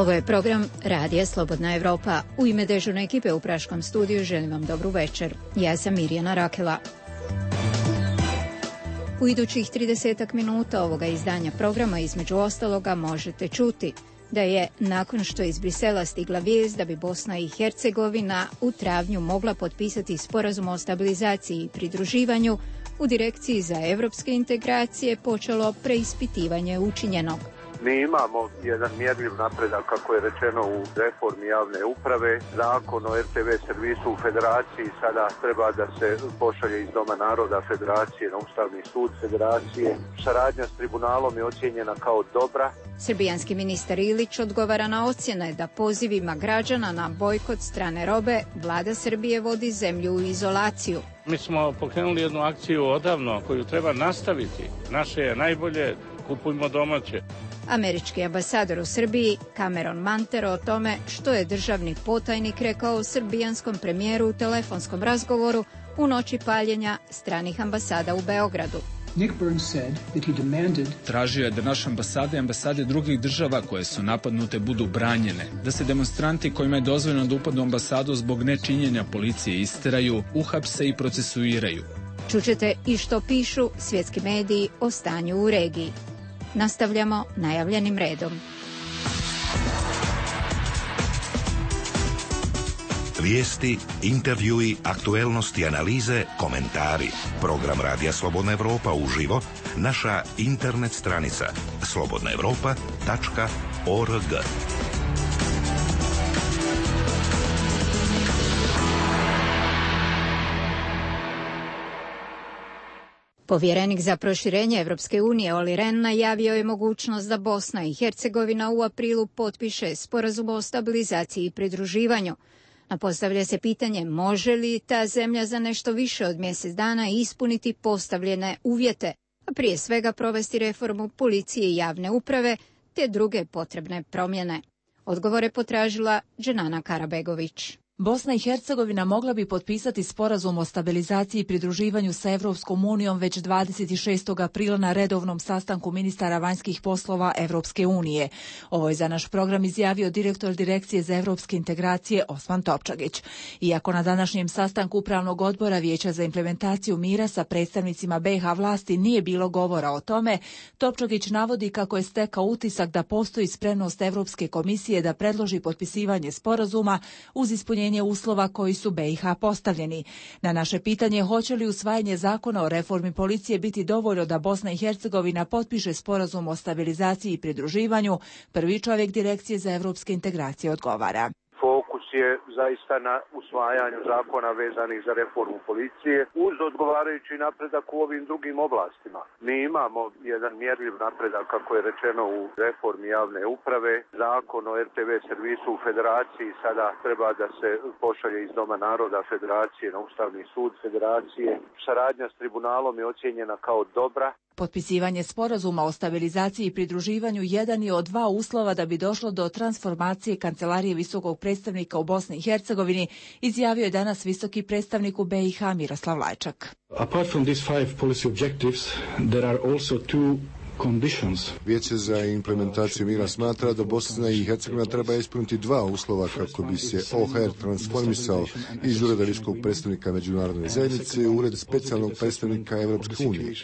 Ovo je program Radija Slobodna Evropa. U ime dežurne ekipe u Praškom studiju želim vam dobru večer. Ja sam Mirjana Rakela. U idućih 30 minuta ovoga izdanja programa između ostaloga možete čuti da je nakon što iz Brisela stigla vijest da bi Bosna i Hercegovina u travnju mogla potpisati sporazum o stabilizaciji i pridruživanju, u Direkciji za evropske integracije počelo preispitivanje učinjenog. Mi imamo jedan mjerljiv napredak, kako je rečeno, u reformi javne uprave. Zakon o RTV servisu u Federaciji sada treba da se pošalje iz Doma naroda Federacije na Ustavni sud Federacije. Saradnja s tribunalom je ocijenjena kao dobra. Srbijanski ministar Ilić odgovara na ocjene da pozivima građana na bojkot strane robe vlada Srbije vodi zemlju u izolaciju. Mi smo pokrenuli jednu akciju odavno koju treba nastaviti. Naše je najbolje, kupujmo domaće. Američki ambasador u Srbiji Cameron Mantero o tome što je državni potajnik rekao srbijanskom premijeru u telefonskom razgovoru u noći paljenja stranih ambasada u Beogradu. Tražio je da naše ambasade i ambasade drugih država koje su napadnute budu branjene, da se demonstranti kojima je dozvoljeno da upadnu u ambasadu zbog nečinjenja policije isteraju, uhapse i procesuiraju. Čućete i što pišu svjetski mediji o stanju u regiji. Nastavljamo najavljenim redom. Vijesti, intervjui, aktuelnosti, analize, komentari. Program Radija Slobodna Evropa uživo, naša internet stranica slobodnaevropa.org. Povjerenik za proširenje Evropske unije Olli Rehn najavio je mogućnost da Bosna i Hercegovina u aprilu potpiše sporazum o stabilizaciji i pridruživanju. Postavlja se pitanje može li ta zemlja za nešto više od mjesec dana ispuniti postavljene uvjete, a prije svega provesti reformu policije i javne uprave te druge potrebne promjene. Odgovore potražila Dženana Karabegović. Bosna i Hercegovina mogla bi potpisati sporazum o stabilizaciji i pridruživanju sa Evropskom unijom već 26. aprila na redovnom sastanku ministara vanjskih poslova Evropske unije. Ovo je za naš program izjavio direktor Direkcije za evropske integracije Osman Topčagić. Iako na današnjem sastanku Upravnog odbora Vijeća za implementaciju mira sa predstavnicima BiH vlasti nije bilo govora o tome, Topčagić navodi kako je stekao utisak da postoji spremnost Evropske komisije da predloži potpisivanje sporazuma uz ispunjenje uslova koji su BiH postavljeni. Na naše pitanje hoće li usvajanje zakona o reformi policije biti dovoljno da Bosna i Hercegovina potpiše sporazum o stabilizaciji i pridruživanju, prvi čovjek Direkcije za evropske integracije odgovara. Fokus je zaista na usvajanju zakona vezanih za reformu policije uz odgovarajući napredak u ovim drugim oblastima. Mi imamo jedan mjerljiv napredak, kako je rečeno, u reformi javne uprave. Zakon o RTV servisu u Federaciji sada treba da se pošalje iz Doma naroda Federacije na Ustavni sud Federacije. Saradnja s tribunalom je ocijenjena kao dobra. Potpisivanje sporazuma o stabilizaciji i pridruživanju jedan je od dva uslova da bi došlo do transformacije Kancelarije visokog predstavnika u Bosni i Hercegovini, izjavio je danas visoki predstavnik u BiH Miroslav Lajčak. Apart from these 5 policy objectives, there are also 2 conditions. Vijeće za implementaciju mira smatra da Bosna i Hercegovina treba ispuniti dva uslova kako bi se OHR transformisao iz Ureda visokog predstavnika međunarodne zajednice u Ured specijalnog predstavnika Evropske unije.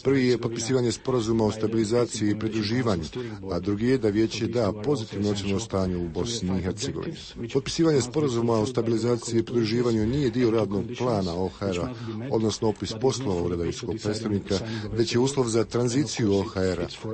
Prvi je potpisivanje sporazuma o stabilizaciji i pridruživanju, a drugi je da vijeće da pozitivno ocjenu o stanju u Bosni i Hercegovini. Potpisivanje sporazuma o stabilizaciji i pridruživanju nije dio radnog plana OHR-a, odnosno opis poslova Ureda visokog predstavnika, već je uslov za tranziciju OHR-a,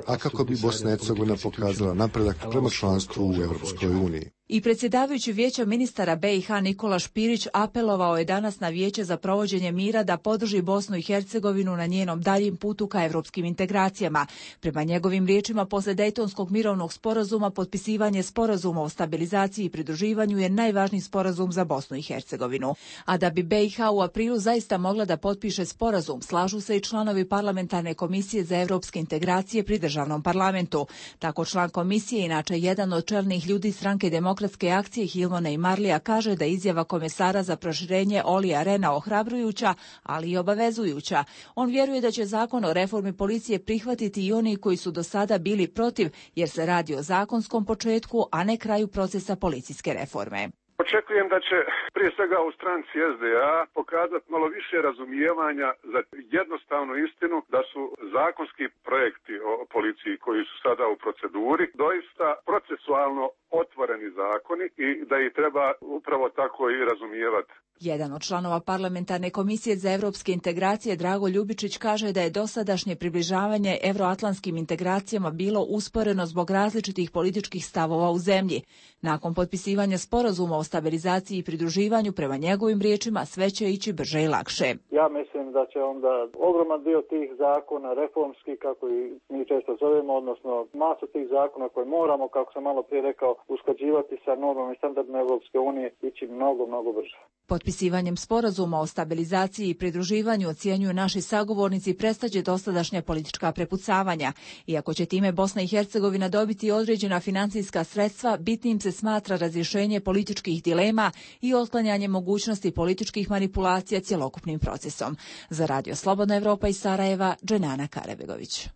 a kako bi Bosna i Hercegovina pokazala napredak prema članstvu u Evropskoj uniji. I predsjedavajući Vijeća ministara BiH Nikola Špirić apelovao je danas na Vijeće za provođenje mira da podrži Bosnu i Hercegovinu na njenom daljim putu ka evropskim integracijama. Prema njegovim riječima, posle Dejtonskog mirovnog sporazuma, potpisivanje sporazuma o stabilizaciji i pridruživanju je najvažniji sporazum za Bosnu i Hercegovinu. A da bi BiH u aprilu zaista mogla da potpiše sporazum, slažu se i članovi parlamentarne komisije za evropske integracije pri državnom parlamentu. Tako član komisije, inače jedan od čelnih ljudi stranke Demokratske demokratske akcije Hilmona i Marlija kaže da izjava komesara za proširenje Olija Rena ohrabrujuća, ali i obavezujuća. On vjeruje da će zakon o reformi policije prihvatiti i oni koji su do sada bili protiv, jer se radi o zakonskom početku, a ne kraju procesa policijske reforme. Očekujem da će prije svega u stranci SDA pokazati malo više razumijevanja za jednostavnu istinu da su zakonski projekti o policiji koji su sada u proceduri doista procesualno otvoreni zakoni i da ih treba upravo tako i razumijevati. Jedan od članova parlamentarne komisije za evropske integracije, Drago Ljubičić, kaže da je dosadašnje približavanje evroatlantskim integracijama bilo usporeno zbog različitih političkih stavova u zemlji. Nakon potpisivanja sporazuma o stabilizaciji i pridruživanju, prema njegovim riječima, sve će ići brže i lakše. Ja mislim da će onda ogroman dio tih zakona, reformski, kako i mi često zovemo, odnosno masu tih zakona koje moramo, kako sam malo prije rekao, usklađivati sa normama i standardima Evropske unije, ići mnogo brže. Potpisivanjem sporazuma o stabilizaciji i pridruživanju, ocjenjuju naši sagovornici, prestaće dosadašnja politička prepucavanja. Iako će time Bosna i Hercegovina dobiti određena financijska sredstva, bitnim se smatra razrješenje političkih dilema i otklanjanje mogućnosti političkih manipulacija cjelokupnim procesom. Za Radio Slobodna Evropa iz Sarajeva, Dženana Karabegović.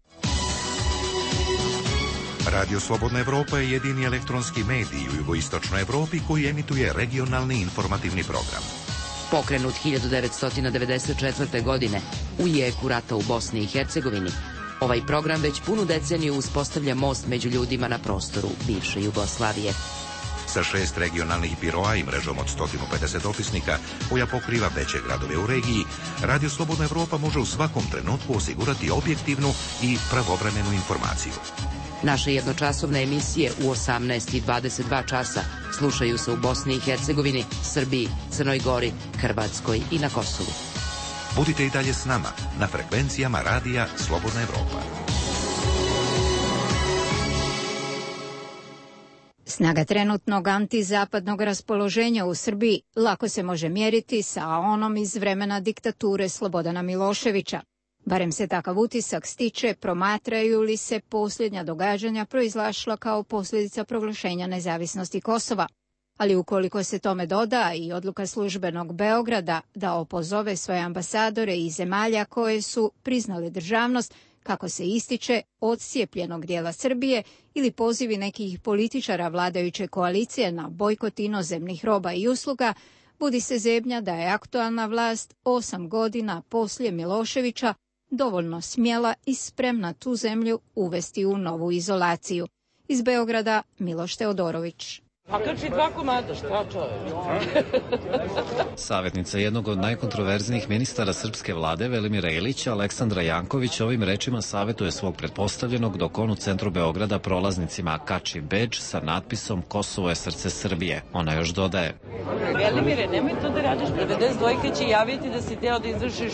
Radio Slobodna Evropa je jedini elektronski medij u jugoistočnoj Evropi koji emituje regionalni informativni program. Pokrenut 1994. godine u jeku rata u Bosni i Hercegovini, ovaj program već punu deceniju uspostavlja most među ljudima na prostoru bivše Jugoslavije. Sa 6 regionalnih biroa i mrežom od 150 dopisnika koja pokriva veće gradove u regiji, Radio Slobodna Evropa može u svakom trenutku osigurati objektivnu i pravovremenu informaciju. Naše jednočasovne emisije u 18 i 22 časa slušaju se u Bosni i Hercegovini, Srbiji, Crnoj Gori, Hrvatskoj i na Kosovu. Budite i dalje s nama na frekvencijama Radija Slobodna Evropa. Snaga trenutnog antizapadnog raspoloženja u Srbiji lako se može mjeriti sa onom iz vremena diktature Slobodana Miloševića. Barem se takav utisak stiče promatraju li se posljednja događanja proizlašla kao posljedica proglašenja nezavisnosti Kosova. Ali ukoliko se tome doda i odluka službenog Beograda da opozove svoje ambasadore iz zemalja koje su priznale državnost, kako se ističe, odcijepljenog dijela Srbije ili pozivi nekih političara vladajuće koalicije na bojkot inozemnih roba i usluga, budi se zebnja da je aktualna vlast 8 godina poslije Miloševića dovoljno smjela i spremna tu zemlju uvesti u novu izolaciju. Iz Beograda Miloš Teodorović. A krči 2 komada, šta čovjek? Savjetnica jednog od najkontroverznijih ministara srpske vlade, Velimira Ilića, Aleksandra Janković, ovim rečima savjetuje svog pretpostavljenog dok on u centru Beograda prolaznicima kači bedž sa natpisom Kosovo je srce Srbije. Ona još dodaje: Velimire, nemoj to da radiš, 92 će javiti da si teo da izvršiš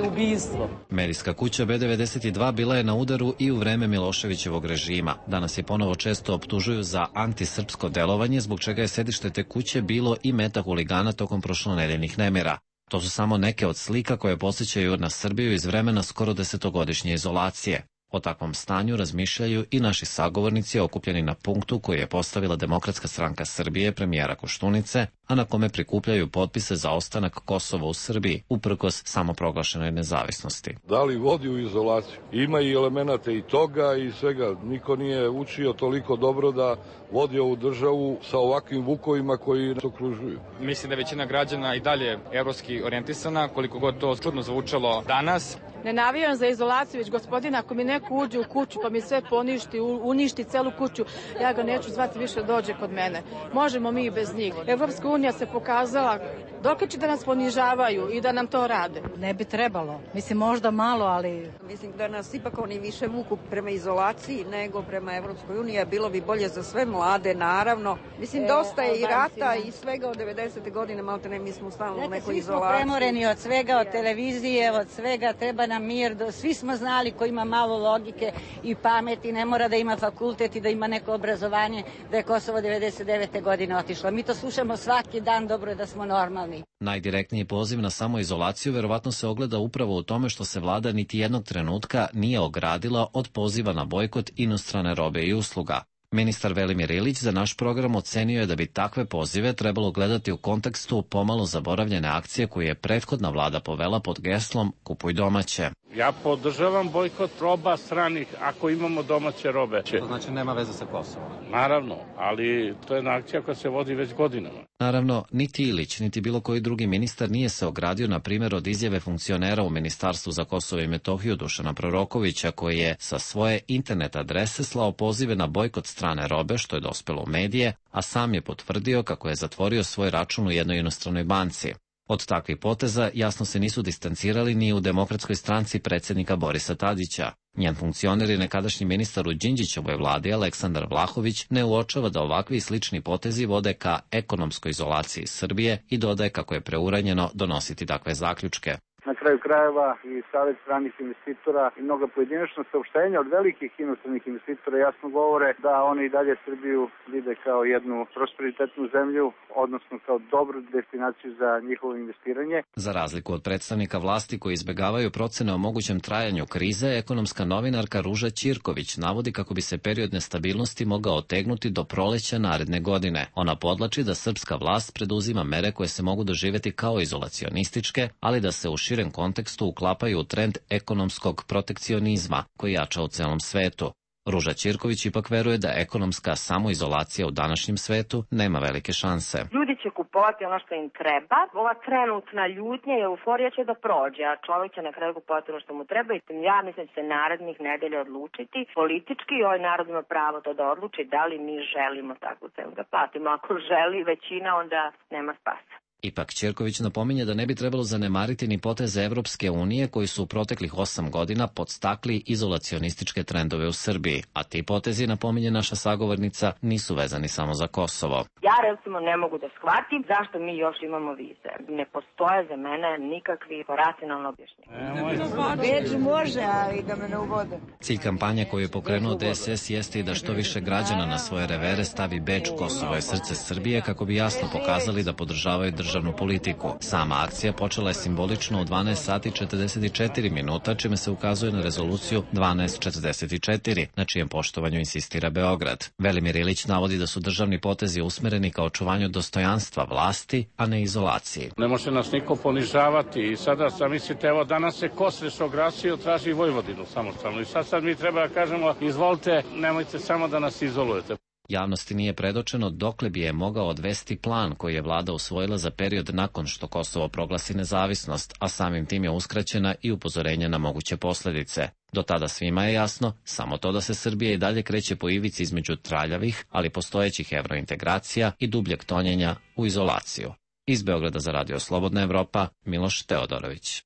ubistvo. Medijska kuća B92 bila je na udaru i u vreme Miloševićevog režima. Danas je ponovo često optužuju za antisrpsko delovanje, zbog čega je sedište te kuće bilo i meta huligana tokom prošlonedeljnih nemira. To su samo neke od slika koje podsjećaju na Srbiju iz vremena skoro 10-godišnje izolacije. O takvom stanju razmišljaju i naši sagovornici okupljeni na punktu koji je postavila Demokratska stranka Srbije premijera Koštunice, a na kome prikupljaju potpise za ostanak Kosova u Srbiji, uprkos samoproglašenoj nezavisnosti. Da li vodi u izolaciju? Ima i elemenata i toga i svega. Niko nije učio toliko dobro da vodi ovu državu sa ovakvim vukovima koji nas okružuju. Mislim da je većina građana i dalje evropski orijentisana, koliko god to čudno zvučalo danas. Ne navijam za izolaciju, već gospodina, ako mi neko uđe u kuću pa mi sve poništi, uništi celu kuću, ja ga neću zvati više dođe kod mene. Možemo mi i bez njih. Evropska unija se pokazala dok će da nas ponižavaju i da nam to rade. Ne bi trebalo. Mislim, možda malo, ali... Mislim da nas ipak oni više vuku prema izolaciji nego prema Evropskoj uniji. Bilo bi bolje za sve mlade, naravno. Mislim, dosta je i rata i svega od 90. godine, malte ne, mi smo stalno u nekoj izolaciji. Svi smo premoreni od svega, od televizije, od svega, treba nam mir. Svi smo znali ko ima malo logike i pameti, ne mora da ima fakultet i da ima neko obrazovanje, da je Kosovo 99. godine otišlo. Mi to slušamo svaki dan, dobro je da smo normalni. Najdirektniji poziv na samoizolaciju verovatno se ogleda upravo u tome što se vlada niti jednog trenutka nije ogradila od poziva na bojkot inostrane robe i usluga. Ministar Velimir Ilić za naš program ocenio je da bi takve pozive trebalo gledati u kontekstu pomalo zaboravljene akcije koju je prethodna vlada povela pod geslom Kupuj domaće. Ja podržavam bojkot roba stranih ako imamo domaće robe. To znači nema veze sa Kosovom. Naravno, ali to je jedna akcija koja se vodi već godinama. Naravno, niti Ilić, niti bilo koji drugi ministar nije se ogradio, na primjer, od izjave funkcionera u Ministarstvu za Kosovo i Metohiju Dušana Prorokovića, koji je sa svoje internet adrese slao pozive na bojkot strane robe, što je dospelo u medije, a sam je potvrdio kako je zatvorio svoj račun u jednoj inostranoj banci. Od takvih poteza jasno se nisu distancirali ni u Demokratskoj stranci predsjednika Borisa Tadića. Njen funkcioner i nekadašnji ministar u Đinđićevoj vladi Aleksandar Vlahović ne uočava da ovakvi i slični potezi vode ka ekonomskoj izolaciji Srbije i dodaje kako je preuranjeno donositi takve zaključke. Na kraju krajeva i Savet stranih investitora i mnoga pojedinačna saopštenja od velikih inostranih investitora jasno govore da oni i dalje Srbiju vide kao jednu prosperitetnu zemlju, odnosno kao dobru destinaciju za njihovo investiranje. Za razliku od predstavnika vlasti koji izbegavaju procene o mogućem trajanju krize, ekonomska novinarka Ruža Ćirković navodi kako bi se period nestabilnosti mogao otegnuti do proleća naredne godine. Ona podlači da srpska vlast preduzima mere koje se mogu doživjeti kao izolacionističke, ali da se u širem kontekstu uklapaju u trend ekonomskog protekcionizma koji jača u celom svetu. Ruža Ćirković ipak veruje da ekonomska samoizolacija u današnjem svetu nema velike šanse. Ljudi će kupovati ono što im treba, ova trenutna ljutnja i euforija će da prođe, a čovjek će na kraju kupovati ono što mu treba i ja mislim da će se narednih nedelja odlučiti. Politički ovaj narod ima pravo to da odluči da li mi želimo takvu cenu da platimo. Ako želi većina, onda nema spasa. Ipak Ćirković napominje da ne bi trebalo zanemariti ni poteze Evropske unije koji su u proteklih 8 godina podstakli izolacionističke trendove u Srbiji, a ti potezi, napominje naša sagovornica, nisu vezani samo za Kosovo. Ja recimo ne mogu da shvatim zašto mi još imamo vize. Ne postoje za mene nikakvi racionalno objašnjenja. Beč može, ali da me ne uvode. Cilj kampanje koju je pokrenuo DSS jeste i da što više građana na svoje revere stavi beč Kosovo je srce Srbije kako bi jasno pokazali da podržavaju državnu politiku. Sama akcija počela je simbolično u 12 sati 44 minuta, čime se ukazuje na rezoluciju 1244, na čijem poštovanju insistira Beograd. Velimir Ilić navodi da su državni potezi usmereni ka očuvanju dostojanstva vlasti, a ne izolaciji. Ne može nas niko ponižavati i sada mislite, evo danas se Kosreš oglasio, traži Vojvodinu samostalno i sad mi treba da kažemo, izvolite, nemojte samo da nas izolujete. Javnosti nije predočeno dokle bi je mogao odvesti plan koji je vlada usvojila za period nakon što Kosovo proglasi nezavisnost, a samim tim je uskraćena i upozorenje na moguće posljedice. Do tada svima je jasno samo to da se Srbija i dalje kreće po ivici između traljavih, ali postojećih evrointegracija i dubljeg tonjenja u izolaciju. Iz Beograda za Radio Slobodna Evropa, Miloš Teodorović.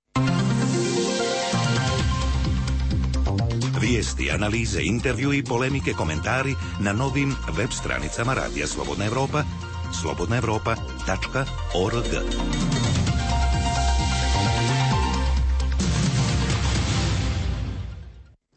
Vijesti, analize, intervju i polemike, komentari na novim web stranicama Radija Slobodna Evropa, slobodnaevropa.org.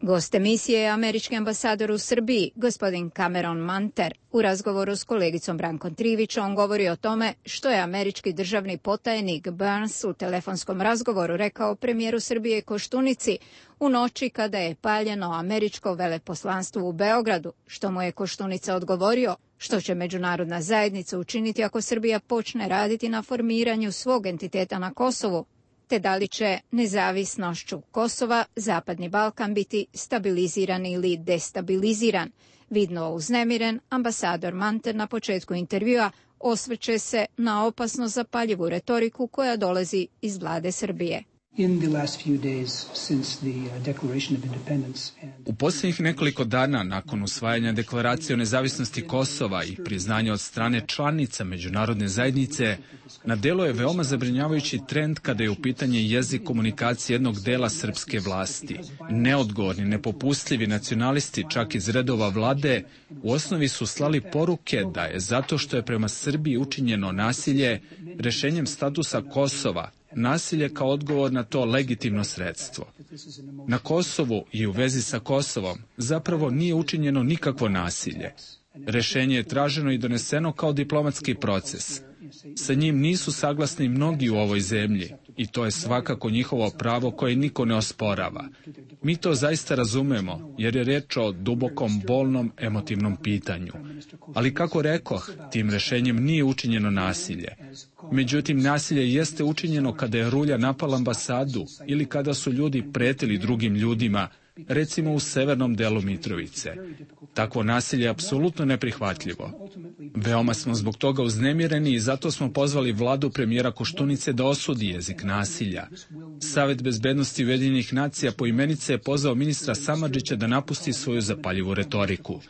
Gost emisije je američki ambasador u Srbiji, gospodin Cameron Manter. U razgovoru s kolegicom Brankom Trivić on govori o tome što je američki državni potajnik Burns u telefonskom razgovoru rekao premijeru Srbije Koštunici u noći kada je paljeno američko veleposlanstvo u Beogradu, što mu je Koštunica odgovorio, što će međunarodna zajednica učiniti ako Srbija počne raditi na formiranju svog entiteta na Kosovu, te da li će nezavisnošću Kosova Zapadni Balkan biti stabiliziran ili destabiliziran. Vidno uznemiren, ambasador Manter na početku intervjua osvrće se na opasno zapaljivu retoriku koja dolazi iz vlade Srbije. U posljednjih nekoliko dana nakon usvajanja deklaracije o nezavisnosti Kosova i priznanja od strane članica međunarodne zajednice, na delu je veoma zabrinjavajući trend kada je u pitanje jezik komunikacije jednog dela srpske vlasti. Neodgovorni, nepopustljivi nacionalisti, čak iz redova vlade, u osnovi su slali poruke da je zato što je prema Srbiji učinjeno nasilje rešenjem statusa Kosova, nasilje kao odgovor na to legitimno sredstvo. Na Kosovu i u vezi sa Kosovom zapravo nije učinjeno nikakvo nasilje. Rešenje je traženo i doneseno kao diplomatski proces. Sa njim nisu saglasni mnogi u ovoj zemlji. i to je svakako njihovo pravo koje niko ne osporava. Mi to zaista razumemo, jer je reč o dubokom, bolnom, emotivnom pitanju. Ali kako rekoh, tim rešenjem nije učinjeno nasilje. Međutim, nasilje jeste učinjeno kada je rulja napala ambasadu ili kada su ljudi pretili drugim ljudima, recimo u severnom delu Mitrovice. Takvo nasilje je apsolutno neprihvatljivo. Veoma smo zbog toga uznemireni i zato smo pozvali vladu premijera Koštunice da osudi jezik nasilja. Savet bezbednosti Ujedinjenih nacija poimenice je pozvao ministra Samardžića da napusti svoju zapaljivu retoriku.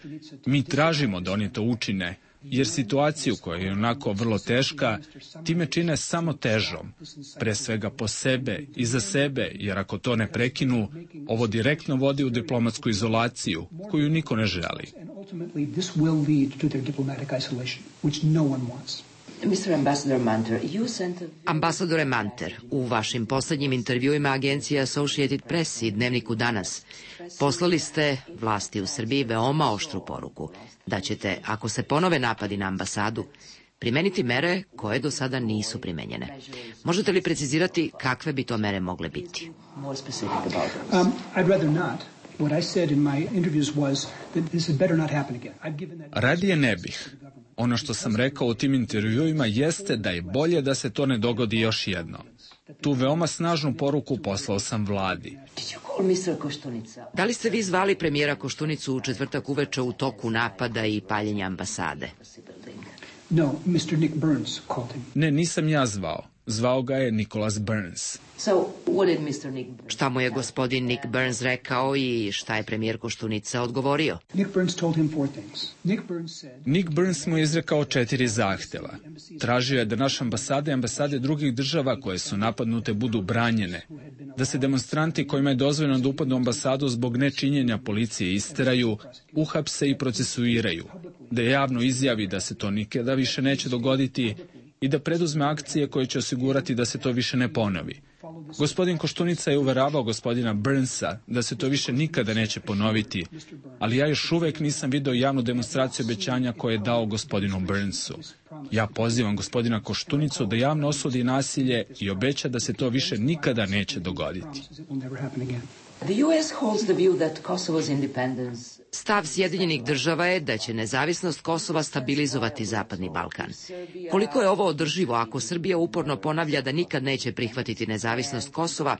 Mi tražimo da oni to učine, jer situaciju koja je onako vrlo teška, time čine samo težom, pre svega po sebe i za sebe, jer ako to ne prekinu, ovo direktno vodi u diplomatsku izolaciju, koju niko ne želi. Ambasadore Manter, u vašim poslednjim intervjuima agencije Associated Press i Dnevniku Danas poslali ste vlasti u Srbiji veoma oštru poruku da ćete, ako se ponove napadi na ambasadu, primeniti mere koje do sada nisu primenjene. Možete li precizirati kakve bi to mere mogle biti? Radije ne bih. Ono što sam rekao u tim intervjuima jeste da je bolje da se to ne dogodi još jednom. Tu veoma snažnu poruku poslao sam vladi. Da li ste vi zvali premijera Koštunicu u četvrtak uveče u toku napada i paljenja ambasade? Ne, nisam ja zvao. Zvao ga je Nicholas Burns. Šta mu je gospodin Nick Burns rekao i šta je premijer Koštunica odgovorio? Nick Burns mu je izrekao 4 zahteva. Tražio je da naše ambasade i ambasade drugih država koje su napadnute budu branjene, da se demonstranti kojima je dozvoljeno da upadnu u ambasadu zbog nečinjenja policije isteraju, uhapse i procesuiraju, da javno izjavi da se to nikada više neće dogoditi i da preduzme akcije koje će osigurati da se to više ne ponovi. Gospodin Koštunica je uveravao gospodina Burnsa da se to više nikada neće ponoviti, ali ja još uvek nisam video javnu demonstraciju obećanja koje je dao gospodinu Burnsu. Ja pozivam gospodina Koštunicu da javno osudi nasilje i obeća da se to više nikada neće dogoditi. Stav Sjedinjenih država je da će nezavisnost Kosova stabilizovati Zapadni Balkan. Koliko je ovo održivo ako Srbija uporno ponavlja da nikad neće prihvatiti nezavisnost Kosova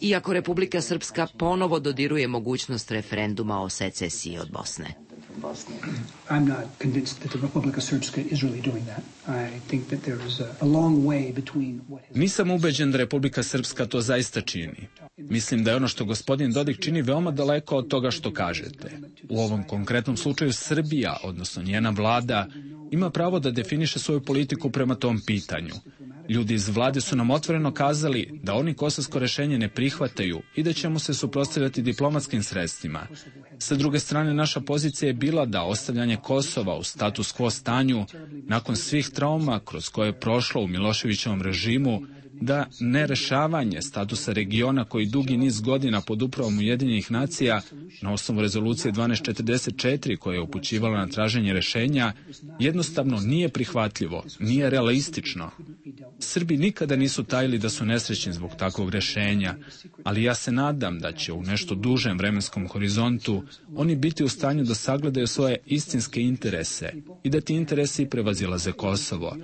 i ako Republika Srpska ponovo dodiruje mogućnost referenduma o secesiji od Bosne? I'm not convinced that the Republika Srpska is really doing that. I think that there is a long way between what has... Nisam ubeđen da Republika Srpska to zaista čini. Mislim da je ono što gospodin Dodik čini veoma daleko od toga što kažete. U ovom konkretnom slučaju Srbija, odnosno njena vlada, ima pravo da definiše svoju politiku prema tom pitanju. Ljudi iz vlade su nam otvoreno kazali da oni kosovsko rešenje ne prihvataju i da ćemo se suprotstavljati diplomatskim sredstvima. Sa druge strane, naša pozicija je bila da ostavljanje Kosova u status quo stanju, nakon svih trauma kroz koje je prošlo u Miloševićevom režimu, da nerešavanje statusa regiona koji dugi niz godina pod upravom Ujedinjenih nacija na osnovu rezolucije 1244 koja je upućivala na traženje rešenja jednostavno nije prihvatljivo, nije realistično. Srbi nikada nisu tajili da su nesrećni zbog takvog rešenja, ali ja se nadam da će u nešto dužem vremenskom horizontu oni biti u stanju da sagledaju svoje istinske interese i da ti interesi prevazilaze Kosovo.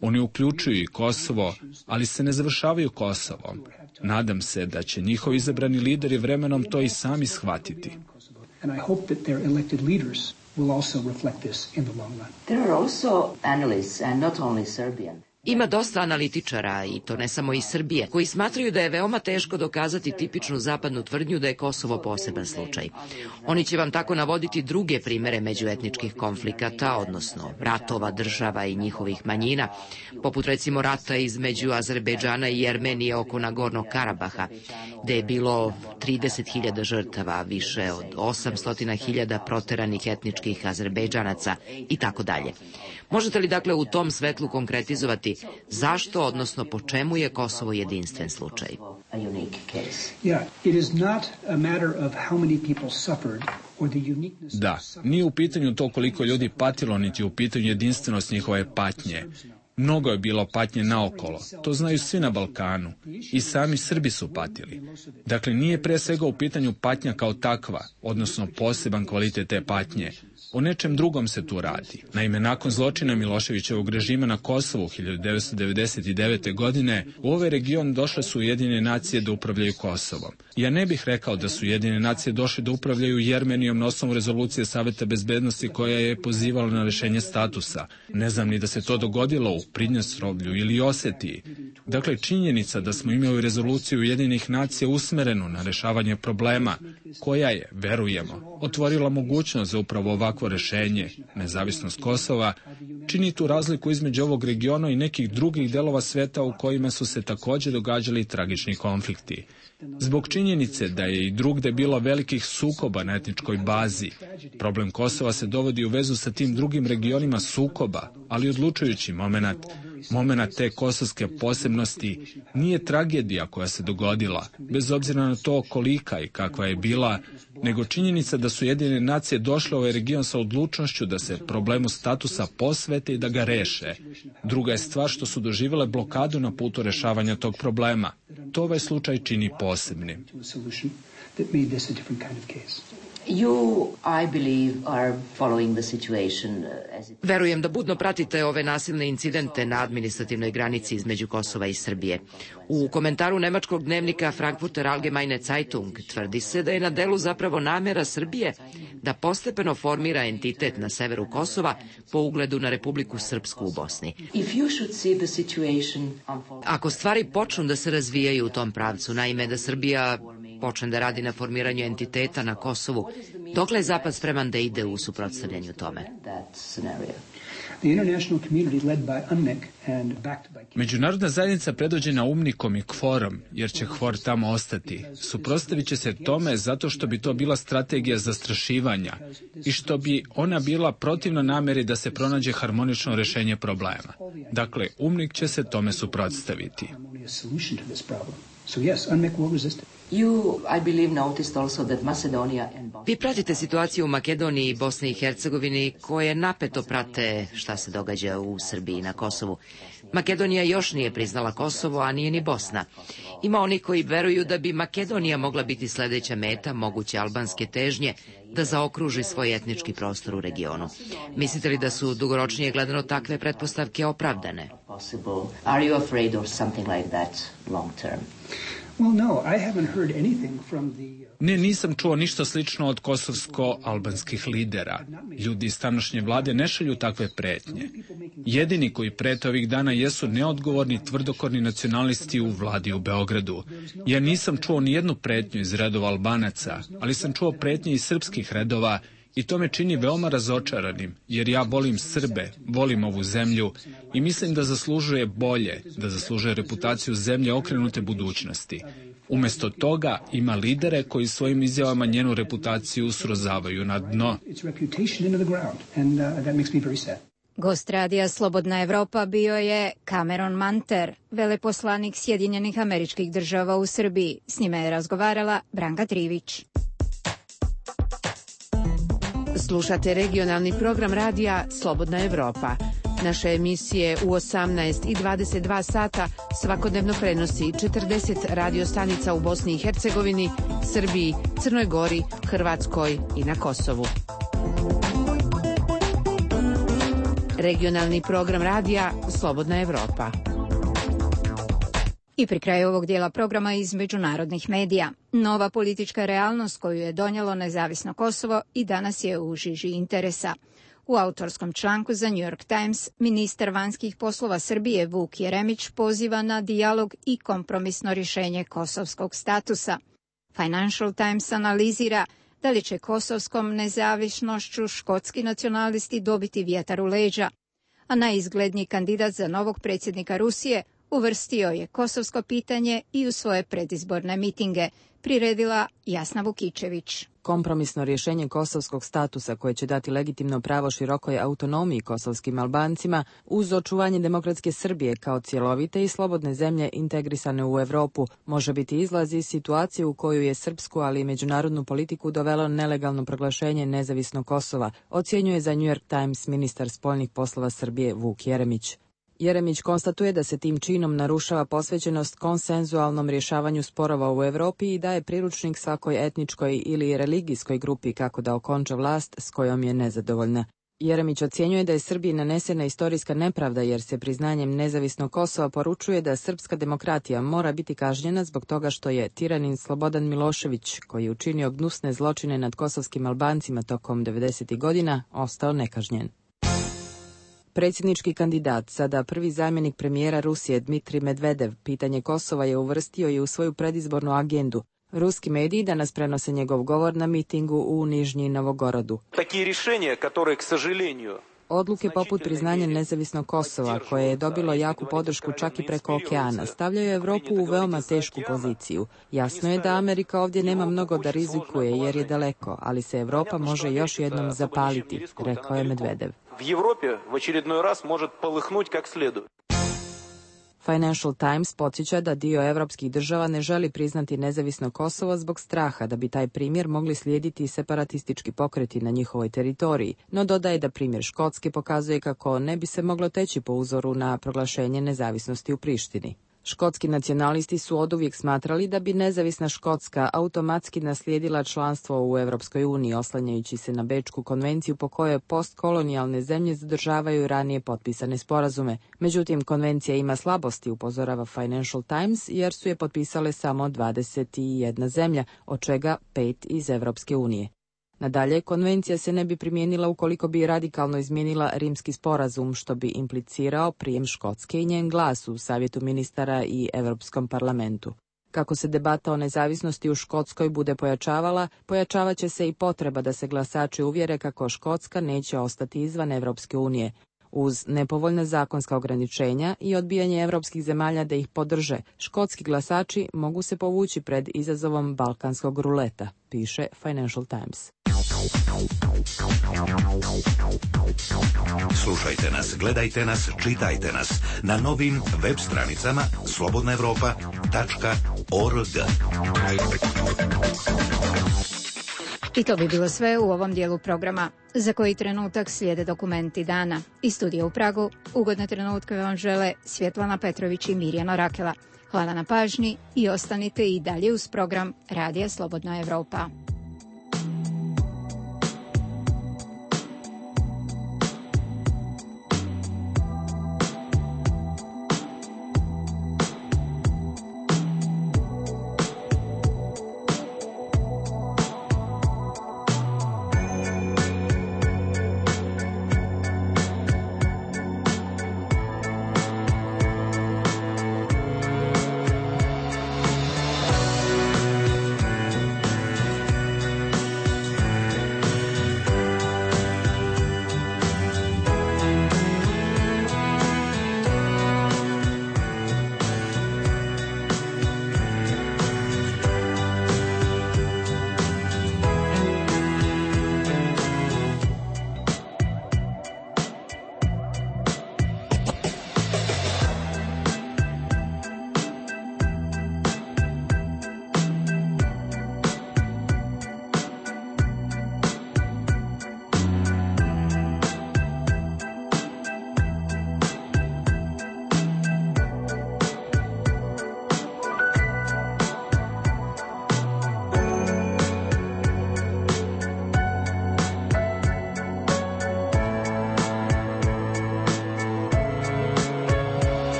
Oni uključuju i Kosovo, ali se ne završavaju Kosovom. Nadam se da će njihovi izabrani lideri vremenom to i sami shvatiti. And I hope that their elected leaders will also reflect this in the long run. There are also analysts, and not only Serbian. Ima dosta analitičara, i to ne samo iz Srbije, koji smatraju da je veoma teško dokazati tipičnu zapadnu tvrdnju da je Kosovo poseban slučaj. Oni će vam tako navoditi druge primere međuetničkih konflikata, odnosno ratova država i njihovih manjina, poput recimo rata između Azerbejdžana i Jermenije oko Nagornog Karabaha, gde je bilo 30.000 žrtava, više od 800.000 proteranih etničkih Azerbejdžanaca i tako dalje. Možete li dakle u tom svetlu konkretizovati zašto, odnosno po čemu je Kosovo jedinstven slučaj? Da, nije u pitanju to koliko ljudi patilo, niti u pitanju jedinstvenost njihove patnje. Mnogo je bilo patnje naokolo, to znaju svi na Balkanu. I sami Srbi su patili. Dakle, nije pre svega u pitanju patnja kao takva, odnosno poseban kvalitet te patnje. O nečem drugom se tu radi. Naime, nakon zločina Miloševićevog režima na Kosovu 1999. godine, u ovaj region došle su Ujedinjene nacije da upravljaju Kosovom. Ja ne bih rekao da su Ujedinjene nacije došle da upravljaju Jermenijom na osnovu rezolucije Saveta bezbednosti koja je pozivala na rešenje statusa. Ne znam ni da se to dogodilo u Pridnjestrovlju ili Osetiji. Dakle, činjenica da smo imali rezoluciju Ujedinjenih nacija usmerenu na rešavanje problema, koja je, verujemo, otvorila mogućnost za upravo ovakvo rešenje, nezavisnost Kosova, čini tu razliku između ovog regiona i nekih drugih delova sveta u kojima su se također događali tragični konflikti. Zbog činjenice da je i drugde bilo velikih sukoba na etničkoj bazi, problem Kosova se dovodi u vezu sa tim drugim regionima sukoba, ali odlučujući momenat te kosovske posebnosti nije tragedija koja se dogodila, bez obzira na to kolika i kakva je bila, nego činjenica da su Ujedinjene nacije došle u ovaj region sa odlučnošću da se problemu statusa posvete i da ga reše. Druga je stvar što su doživjele blokadu na putu rešavanja tog problema. To ovaj slučaj čini posebnim. Verujem da budno pratite ove nasilne incidente na administrativnoj granici između Kosova i Srbije. U komentaru nemačkog dnevnika Frankfurter Allgemeine Zeitung tvrdi se da je na delu zapravo namera Srbije da postepeno formira entitet na severu Kosova po ugledu na Republiku Srpsku u Bosni. Ako stvari počnu da se razvijaju u tom pravcu, naime da Srbija počne da radi na formiranju entiteta na Kosovu, dokle je Zapad spreman da ide u suprotstavljanju tome? Međunarodna zajednica predvođena UNMIK-om i KFOR-om, jer će KFOR tamo ostati, suprotstavit će se tome zato što bi to bila strategija zastrašivanja i što bi ona bila protivna nameri da se pronađe harmonično rešenje problema. Dakle, UNMIK će se tome suprotstaviti. Vi pratite situaciju u Makedoniji i Bosni i Hercegovini koje napeto prate šta se događa u Srbiji na Kosovu. Makedonija još nije priznala Kosovo, a nije ni Bosna. Ima oni koji veruju da bi Makedonija mogla biti sledeća meta moguće albanske težnje da zaokruži svoj etnički prostor u regionu. Mislite li da su dugoročnije gledano takve pretpostavke opravdane? Ne, nisam čuo ništa slično od kosovsko-albanskih lidera. Ljudi iz tamošnje vlade ne šalju takve pretnje. Jedini koji prete ovih dana jesu neodgovorni, tvrdokorni nacionalisti u vladi u Beogradu. Ja nisam čuo ni jednu pretnju iz redova Albanaca, ali sam čuo pretnje iz srpskih redova i to me čini veoma razočaranim, jer ja volim Srbe, volim ovu zemlju i mislim da zaslužuje bolje, da zaslužuje reputaciju zemlje okrenute budućnosti. Umesto toga ima lidere koji svojim izjavama njenu reputaciju srozavaju na dno. Gost radija Slobodna Evropa bio je Cameron Manter, veleposlanik Sjedinjenih Američkih Država u Srbiji. S njime je razgovarala Branka Trivić. Slušate regionalni program radija Slobodna Evropa. Naše emisije u 18 i 22 sata svakodnevno prenosi 40 radiostanica u Bosni i Hercegovini, Srbiji, Crnoj Gori, Hrvatskoj i na Kosovu. Regionalni program radija Slobodna Evropa. I pri kraju ovog dijela programa iz međunarodnih medija. Nova politička realnost koju je donijelo nezavisno Kosovo i danas je u žiži interesa. U autorskom članku za New York Times ministar vanjskih poslova Srbije Vuk Jeremić poziva na dijalog i kompromisno rješenje kosovskog statusa. Financial Times analizira da li će kosovskom nezavisnošću škotski nacionalisti dobiti vjetar u leđa, a najizgledniji kandidat za novog predsjednika Rusije uvrstio je kosovsko pitanje i u svoje predizborne mitinge, priredila Jasna Vukičević. Kompromisno rješenje kosovskog statusa koje će dati legitimno pravo širokoj autonomiji kosovskim Albancima uz očuvanje demokratske Srbije kao cjelovite i slobodne zemlje integrisane u Evropu može biti izlaz iz situacije u koju je srpsku, ali i međunarodnu politiku dovelo nelegalno proglašenje nezavisnog Kosova, ocjenjuje za New York Times ministar spoljnih poslova Srbije Vuk Jeremić. Jeremić konstatuje da se tim činom narušava posvećenost konsenzualnom rješavanju sporova u Europi i daje priručnik svakoj etničkoj ili religijskoj grupi kako da okonča vlast s kojom je nezadovoljna. Jeremić ocjenjuje da je Srbiji nanesena istorijska nepravda jer se priznanjem nezavisnog Kosova poručuje da srpska demokratija mora biti kažnjena zbog toga što je tiranin Slobodan Milošević, koji je učinio gnusne zločine nad kosovskim Albancima tokom 90. godina, ostao nekažnjen. Predsjednički kandidat, sada prvi zamjenik premijera Rusije Dmitrij Medvedev, pitanje Kosova je uvrstio i u svoju predizbornu agendu. Ruski mediji danas prenose njegov govor na mitingu u Nižnji Novogorodu. Odluke poput priznanja nezavisnog Kosova, koje je dobilo jaku podršku čak i preko okeana, stavljaju Evropu u veoma tešku poziciju. Jasno je da Amerika ovdje nema mnogo da rizikuje jer je daleko, ali se Evropa može još jednom zapaliti, rekao je Medvedev. Financial Times podsjeća da dio evropskih država ne želi priznati nezavisno Kosovo zbog straha da bi taj primjer mogli slijediti separatistički pokreti na njihovoj teritoriji, no dodaje da primjer Škotske pokazuje kako ne bi se moglo teći po uzoru na proglašenje nezavisnosti u Prištini. Škotski nacionalisti su oduvijek smatrali da bi nezavisna Škotska automatski naslijedila članstvo u Europskoj uniji, oslanjajući se na Bečku konvenciju po kojoj postkolonijalne zemlje zadržavaju ranije potpisane sporazume. Međutim, konvencija ima slabosti, upozorava Financial Times, jer su je potpisale samo 21 zemlja, od čega 5 iz Europske unije. Nadalje, konvencija se ne bi primijenila ukoliko bi radikalno izmijenila Rimski sporazum, što bi implicirao prijem Škotske i njen glas u Savjetu ministara i Europskom parlamentu. Kako se debata o nezavisnosti u Škotskoj bude pojačavala, pojačavat će se i potreba da se glasači uvjere kako Škotska neće ostati izvan Europske unije. Uz nepovoljna zakonska ograničenja i odbijanje europskih zemalja da ih podrže, škotski glasači mogu se povući pred izazovom balkanskog ruleta, piše Financial Times. Slušajte nas, gledajte nas, čitajte nas na novim web stranicama slobodnaevropa.org. I to bi bilo sve u ovom dijelu programa. Za koji trenutak slijede dokumenti dana. Iz studija u Pragu ugodne trenutke vam žele Svjetlana Petrović i Mirjana Rakela. Hvala na pažnji i ostanite i dalje uz program Radija Slobodna Evropa.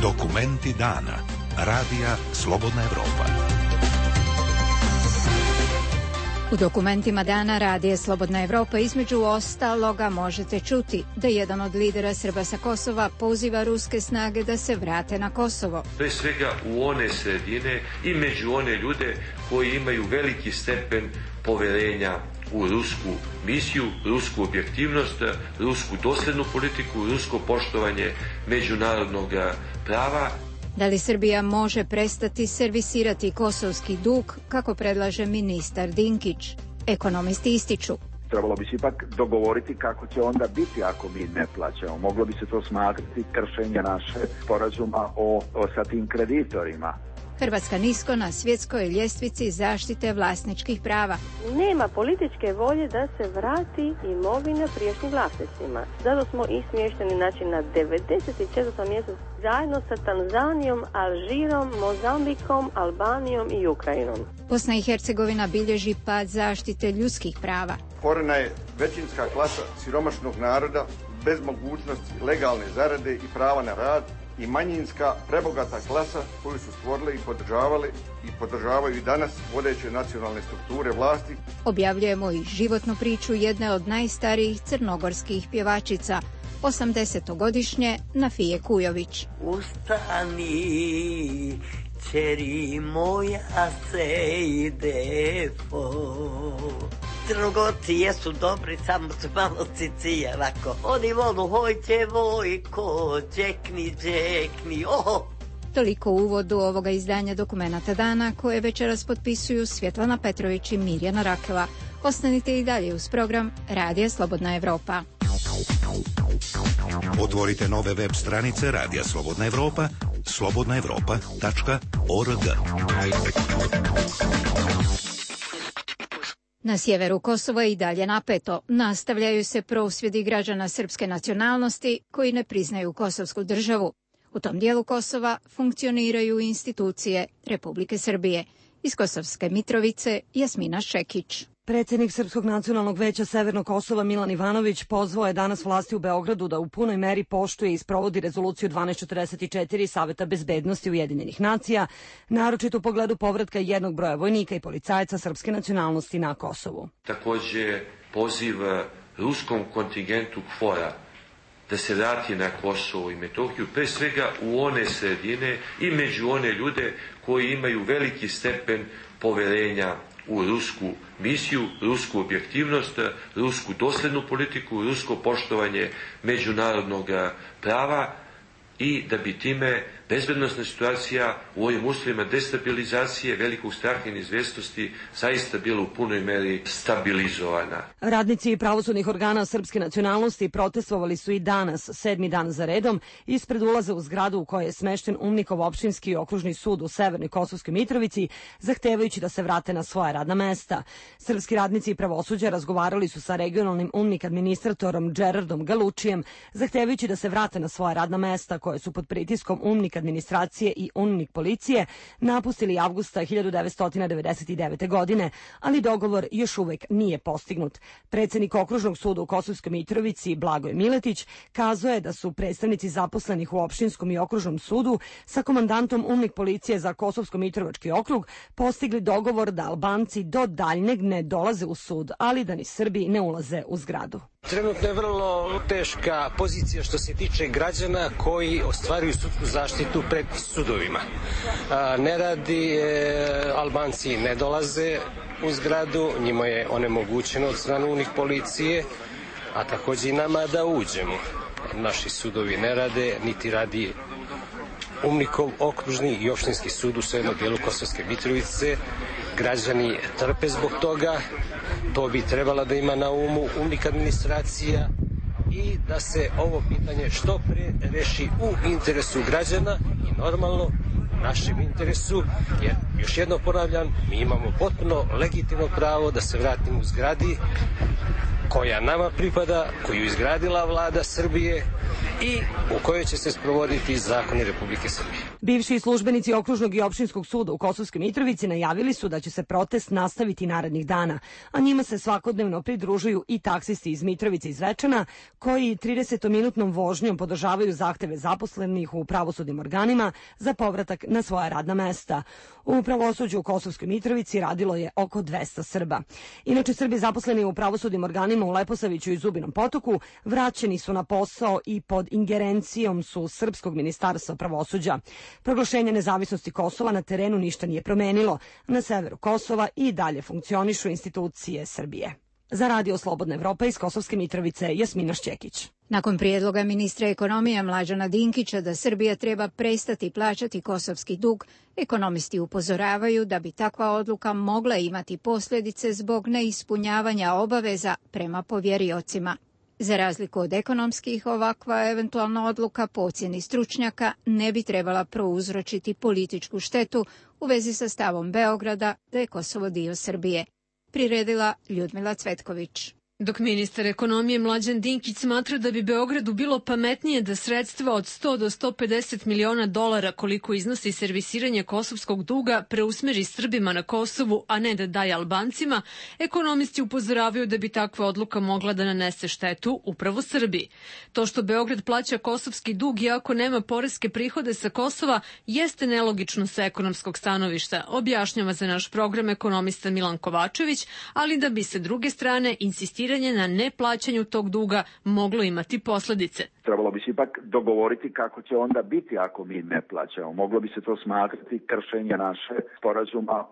Dokumenti dana. Radija Slobodna Evropa. U dokumentima dana Radija Slobodna Evropa između ostaloga možete čuti da jedan od lidera Srba sa Kosova poziva ruske snage da se vrate na Kosovo. Pre svega u one sredine i među one ljude koji imaju veliki stepen poverenja u rusku misiju, rusku objektivnost, rusku doslednu politiku, rusko poštovanje međunarodnog prava. Da li Srbija može prestati servisirati kosovski dug, kako predlaže ministar Dinkić? Ekonomisti ističu. Trebalo bi se ipak dogovoriti kako će onda biti ako mi ne plaćamo. Moglo bi se to smatrati kršenje naše sporazuma sa tim kreditorima. Hrvatska nisko na svjetskoj ljestvici zaštite vlasničkih prava. Nema političke volje da se vrati imovina prijašnjim vlasnicima. Zato smo i smješteni na 94. mjestu zajedno sa Tanzanijom, Alžirom, Mozambikom, Albanijom i Ukrajinom. Bosna i Hercegovina bilježi pad zaštite ljudskih prava. Stvorena je većinska klasa siromašnog naroda bez mogućnosti legalne zarade i prava na rad, i manjinska prebogata klasa koju su stvorile i podržavaju i danas vodeće nacionalne strukture vlasti. Objavljujemo i životnu priču jedne od najstarijih crnogorskih pjevačica, 80-godišnje Nafije Kujović. Ustani, čeri moja se ide po. Crnogorci jesu dobri, samo su malo cicije, ovako. Oni volu, hojte vojko, džekni, oho. Toliko u uvodu ovoga izdanja Dokumenata dana, koje večeras potpisuju Svjetlana Petrović i Mirjana Rakela. Ostanite i dalje uz program Radija Slobodna Evropa. Otvorite nove web stranice Radija Slobodna Evropa, slobodnaevropa.org. Na sjeveru Kosova i dalje napeto. Nastavljaju se prosvjedi građana srpske nacionalnosti koji ne priznaju kosovsku državu. U tom dijelu Kosova funkcioniraju institucije Republike Srbije. Iz Kosovske Mitrovice, Jasmina Šekić. Predsjednik Srpskog nacionalnog veća Severnog Kosova Milan Ivanović pozvao je danas vlasti u Beogradu da u punoj meri poštuje i sprovodi rezoluciju 1244 Saveta bezbednosti Ujedinjenih nacija, naročito u pogledu povratka jednog broja vojnika i policajaca srpske nacionalnosti na Kosovu. Također poziv ruskom kontingentu KFOR-a da se vrati na Kosovo i Metohiju, pre svega u one sredine i među one ljude koji imaju veliki stepen poverenja u rusku misiju, rusku objektivnost, rusku doslednu politiku, rusko poštovanje međunarodnog prava i da bi time bezbednosna situacija u ovim uslovima destabilizacije, velikog straha i neizvjesnosti zaista bila u punoj meri stabilizovana. Radnici pravosudnih organa srpske nacionalnosti protestovali su i danas, 7. dan za redom, ispred ulaza u zgradu u kojoj je smešten Umnikov opštinski okružni sud u Severnoj Kosovskoj Mitrovici, zahtevajući da se vrate na svoja radna mesta. Srpski radnici pravosuđa razgovarali su sa regionalnim Umnik administratorom Gerardom Galučijem, zahtevajući da se vrate na svoja radna mesta koje su pod pritiskom Umnik administracije i Umnik policije napustili avgusta 1999. godine, ali dogovor još uvek nije postignut. Predsjednik okružnog suda u Kosovskoj Mitrovici Blagoje Miletić kazao je da su predstavnici zaposlenih u opštinskom i okružnom sudu sa komandantom Umnik policije za Kosovsko-Mitrovački okrug postigli dogovor da Albanci do daljnjeg ne dolaze u sud, ali da ni Srbi ne ulaze u zgradu. Trenutno je vrlo teška pozicija što se tiče građana koji ostvaruju sudsku zaštitu pred sudovima. Ne radi, Albanci ne dolaze u zgradu, njima je onemogućeno od strane Umnik policije, a također i nama da uđemo. Naši sudovi ne rade, niti radi Umnikov okružni i opštinski sud u severnom dijelu Kosovske Mitrovice. Građani trpe zbog toga, to bi trebala da ima na umu Umnik administracija i da se ovo pitanje što pre reši u interesu građana i normalno našem interesu, jer još jedno ponavljam, mi imamo potpuno legitimno pravo da se vratimo u zgradi koja nama pripada, koju izgradila vlada Srbije i u kojoj će se sprovoditi zakoni Republike Srbije. Bivši službenici Okružnog i opštinskog suda u Kosovskoj Mitrovici najavili su da će se protest nastaviti narednih dana, a njima se svakodnevno pridružuju i taksisti iz Mitrovice i Zvečana, koji 30-minutnom vožnjom podržavaju zahteve zaposlenih u pravosudnim organima za povratak na svoja radna mesta. U pravosuđu u Kosovskoj Mitrovici radilo je oko 200 Srba. Inače, Srbi zaposleni u pravosudnim organima u Leposaviću i Zubinom Potoku vraćeni su na posao i pod ingerencijom su Srpskog ministarstva pravosuđa. Proglašenje nezavisnosti Kosova na terenu ništa nije promenilo. Na severu Kosova i dalje funkcionišu institucije Srbije. Za Radio Slobodna Evropa iz Kosovske Mitrovice, Jasmina Šćekić. Nakon prijedloga ministra ekonomije Mlađana Dinkića da Srbija treba prestati plaćati kosovski dug, ekonomisti upozoravaju da bi takva odluka mogla imati posljedice zbog neispunjavanja obaveza prema povjeriocima. Za razliku od ekonomskih, ovakva eventualna odluka po ocjeni stručnjaka ne bi trebala prouzročiti političku štetu u vezi sa stavom Beograda da je Kosovo dio Srbije. Priredila Ljudmila Cvetković. Dok ministar ekonomije Mlađan Dinkić smatra da bi Beogradu bilo pametnije da sredstva od 100 do 150 miliona dolara koliko iznosi servisiranje kosovskog duga preusmeri Srbima na Kosovu, a ne da daje Albancima, ekonomisti upozoravaju da bi takva odluka mogla da nanese štetu upravo Srbiji. To što Beograd plaća kosovski dug iako nema poreske prihode sa Kosova jeste nelogično sa ekonomskog stanovišta, objašnjava za naš program ekonomista Milan Kovačević, ali da bi sa druge strane insistiranje na neplaćanju tog duga moglo imati posljedice. Trebalo bi se ipak dogovoriti kako će onda biti ako mi ne plaćamo. Moglo bi se to smatrati kršenje naše sporazuma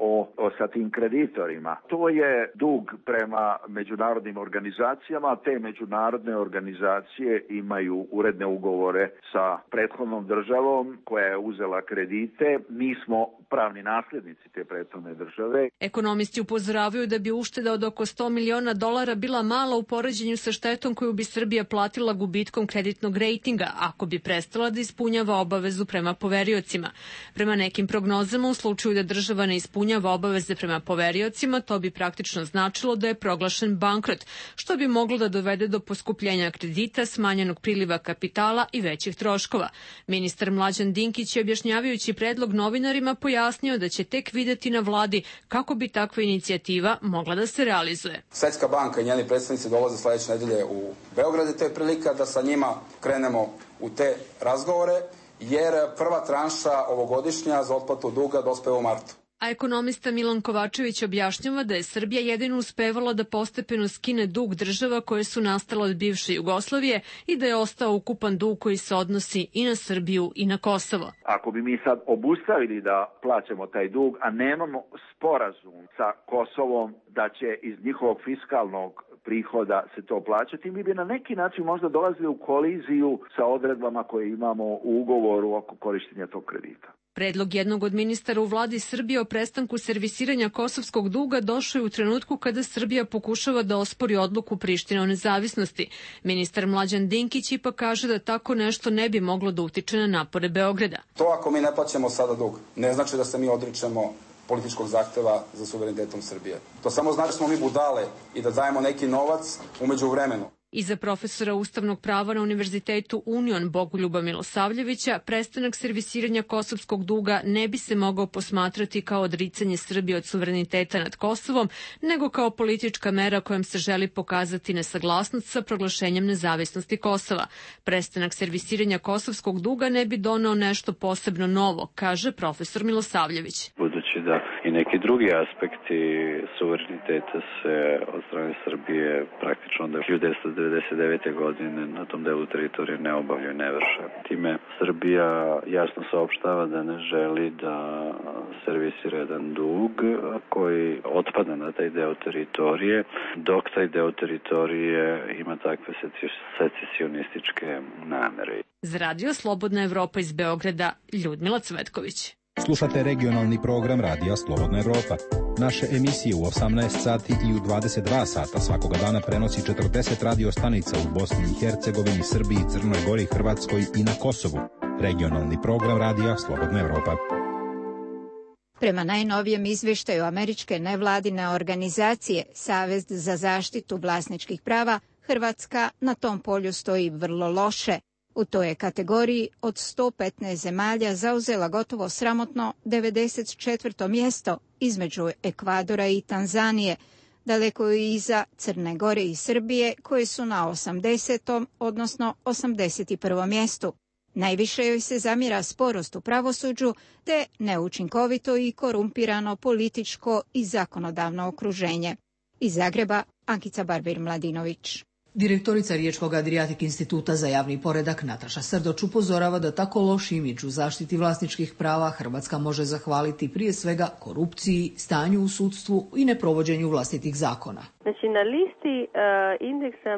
sa tim kreditorima. To je dug prema međunarodnim organizacijama, a te međunarodne organizacije imaju uredne ugovore sa prethodnom državom koja je uzela kredite. Mi smo pravni nasljednici te prethodne države. Ekonomisti upozoravaju da bi ušteda od oko 100 miliona dolara bila mala u poređenju sa štetom koju bi Srbija platila gubitkom kreditnog rejtinga ako bi prestala da ispunjava obavezu prema poveriocima. Prema nekim prognozama, u slučaju da država ne ispunjava obaveze prema poveriocima, to bi praktično značilo da je proglašen bankrot, što bi moglo da dovede do poskupljenja kredita, smanjenog priliva kapitala i većih troškova. Ministar Mlađan Dinkić je objašnjavajući predlog novinarima pojasnio da će tek videti na vladi kako bi takva inicijativa mogla da se realizuje. Svetska banka i njeni predstavnici dolaze sledeće nedelje u Beograd i to je prilika da sa njima krenemo u te razgovore, jer prva tranša ovogodišnja za otplatu duga dospeva u martu. A ekonomista Milan Kovačević objašnjava da je Srbija jedino uspevala da postepeno skine dug država koje su nastale od bivše Jugoslavije i da je ostao ukupan dug koji se odnosi i na Srbiju i na Kosovo. Ako bi mi sad obustavili da plaćamo taj dug, a nemamo sporazum sa Kosovom da će iz njihovog fiskalnog prihoda se to plaćati, mi bi na neki način možda dolazili u koliziju sa odredbama koje imamo u ugovoru oko korištenja tog kredita. Predlog jednog od ministara u vladi Srbije o prestanku servisiranja kosovskog duga došao je u trenutku kada Srbija pokušava da ospori odluku Prištine o nezavisnosti. Ministar Mlađan Dinkić ipak kaže da tako nešto ne bi moglo da utiče na napore Beograda. To ako mi ne plaćamo sada dug, ne znači da se mi odričemo političkog zahteva za suverenitetom Srbije. To samo znači da smo mi budale i da dajemo neki novac umeđu vremenu. I za profesora ustavnog prava na Univerzitetu Union Bogoljuba Milosavljevića, prestanak servisiranja kosovskog duga ne bi se mogao posmatrati kao odricanje Srbije od suvereniteta nad Kosovom, nego kao politička mera kojom se želi pokazati nesaglasnost sa proglašenjem nezavisnosti Kosova. Prestanak servisiranja kosovskog duga ne bi doneo nešto posebno novo, kaže profesor Milosavljević. Budući da i neki drugi aspekti suvereniteta se od strane Srbije praktično od 1999. godine na tom delu teritorije ne obavljaju i ne vrše. Time Srbija jasno saopštava da ne želi da servisira jedan dug koji otpada na taj deo teritorije, dok taj deo teritorije ima takve secesionističke namere. Za Radio Slobodna Evropa iz Beograda, Ljudmila Cvetković. Slušate regionalni program Radija Slobodna Evropa. Naše emisije u 18 sati i u 22 sata svakoga dana prenosi 40 radio stanica u Bosni i Hercegovini, Srbiji, Crnoj Gori, Hrvatskoj i na Kosovu. Regionalni program Radija Slobodna Evropa. Prema najnovijem izvještaju američke nevladine organizacije Savez za zaštitu vlasničkih prava, Hrvatska na tom polju stoji vrlo loše. U toj je kategoriji od 115 zemalja zauzela gotovo sramotno 94. mjesto između Ekvadora i Tanzanije, daleko iza Crne Gore i Srbije koje su na 80. odnosno 81. mjestu. Najviše joj se zamjera sporost u pravosuđu te neučinkovito i korumpirano političko i zakonodavno okruženje. Iz Zagreba, Ankica Barbir-Mladinović. Direktorica Riječkog Adriatic instituta za javni poredak Nataša Srdoč upozorava da tako loš imidž u zaštiti vlasničkih prava Hrvatska može zahvaliti prije svega korupciji, stanju u sudstvu i neprovođenju vlastitih zakona. Znači na listi indeksa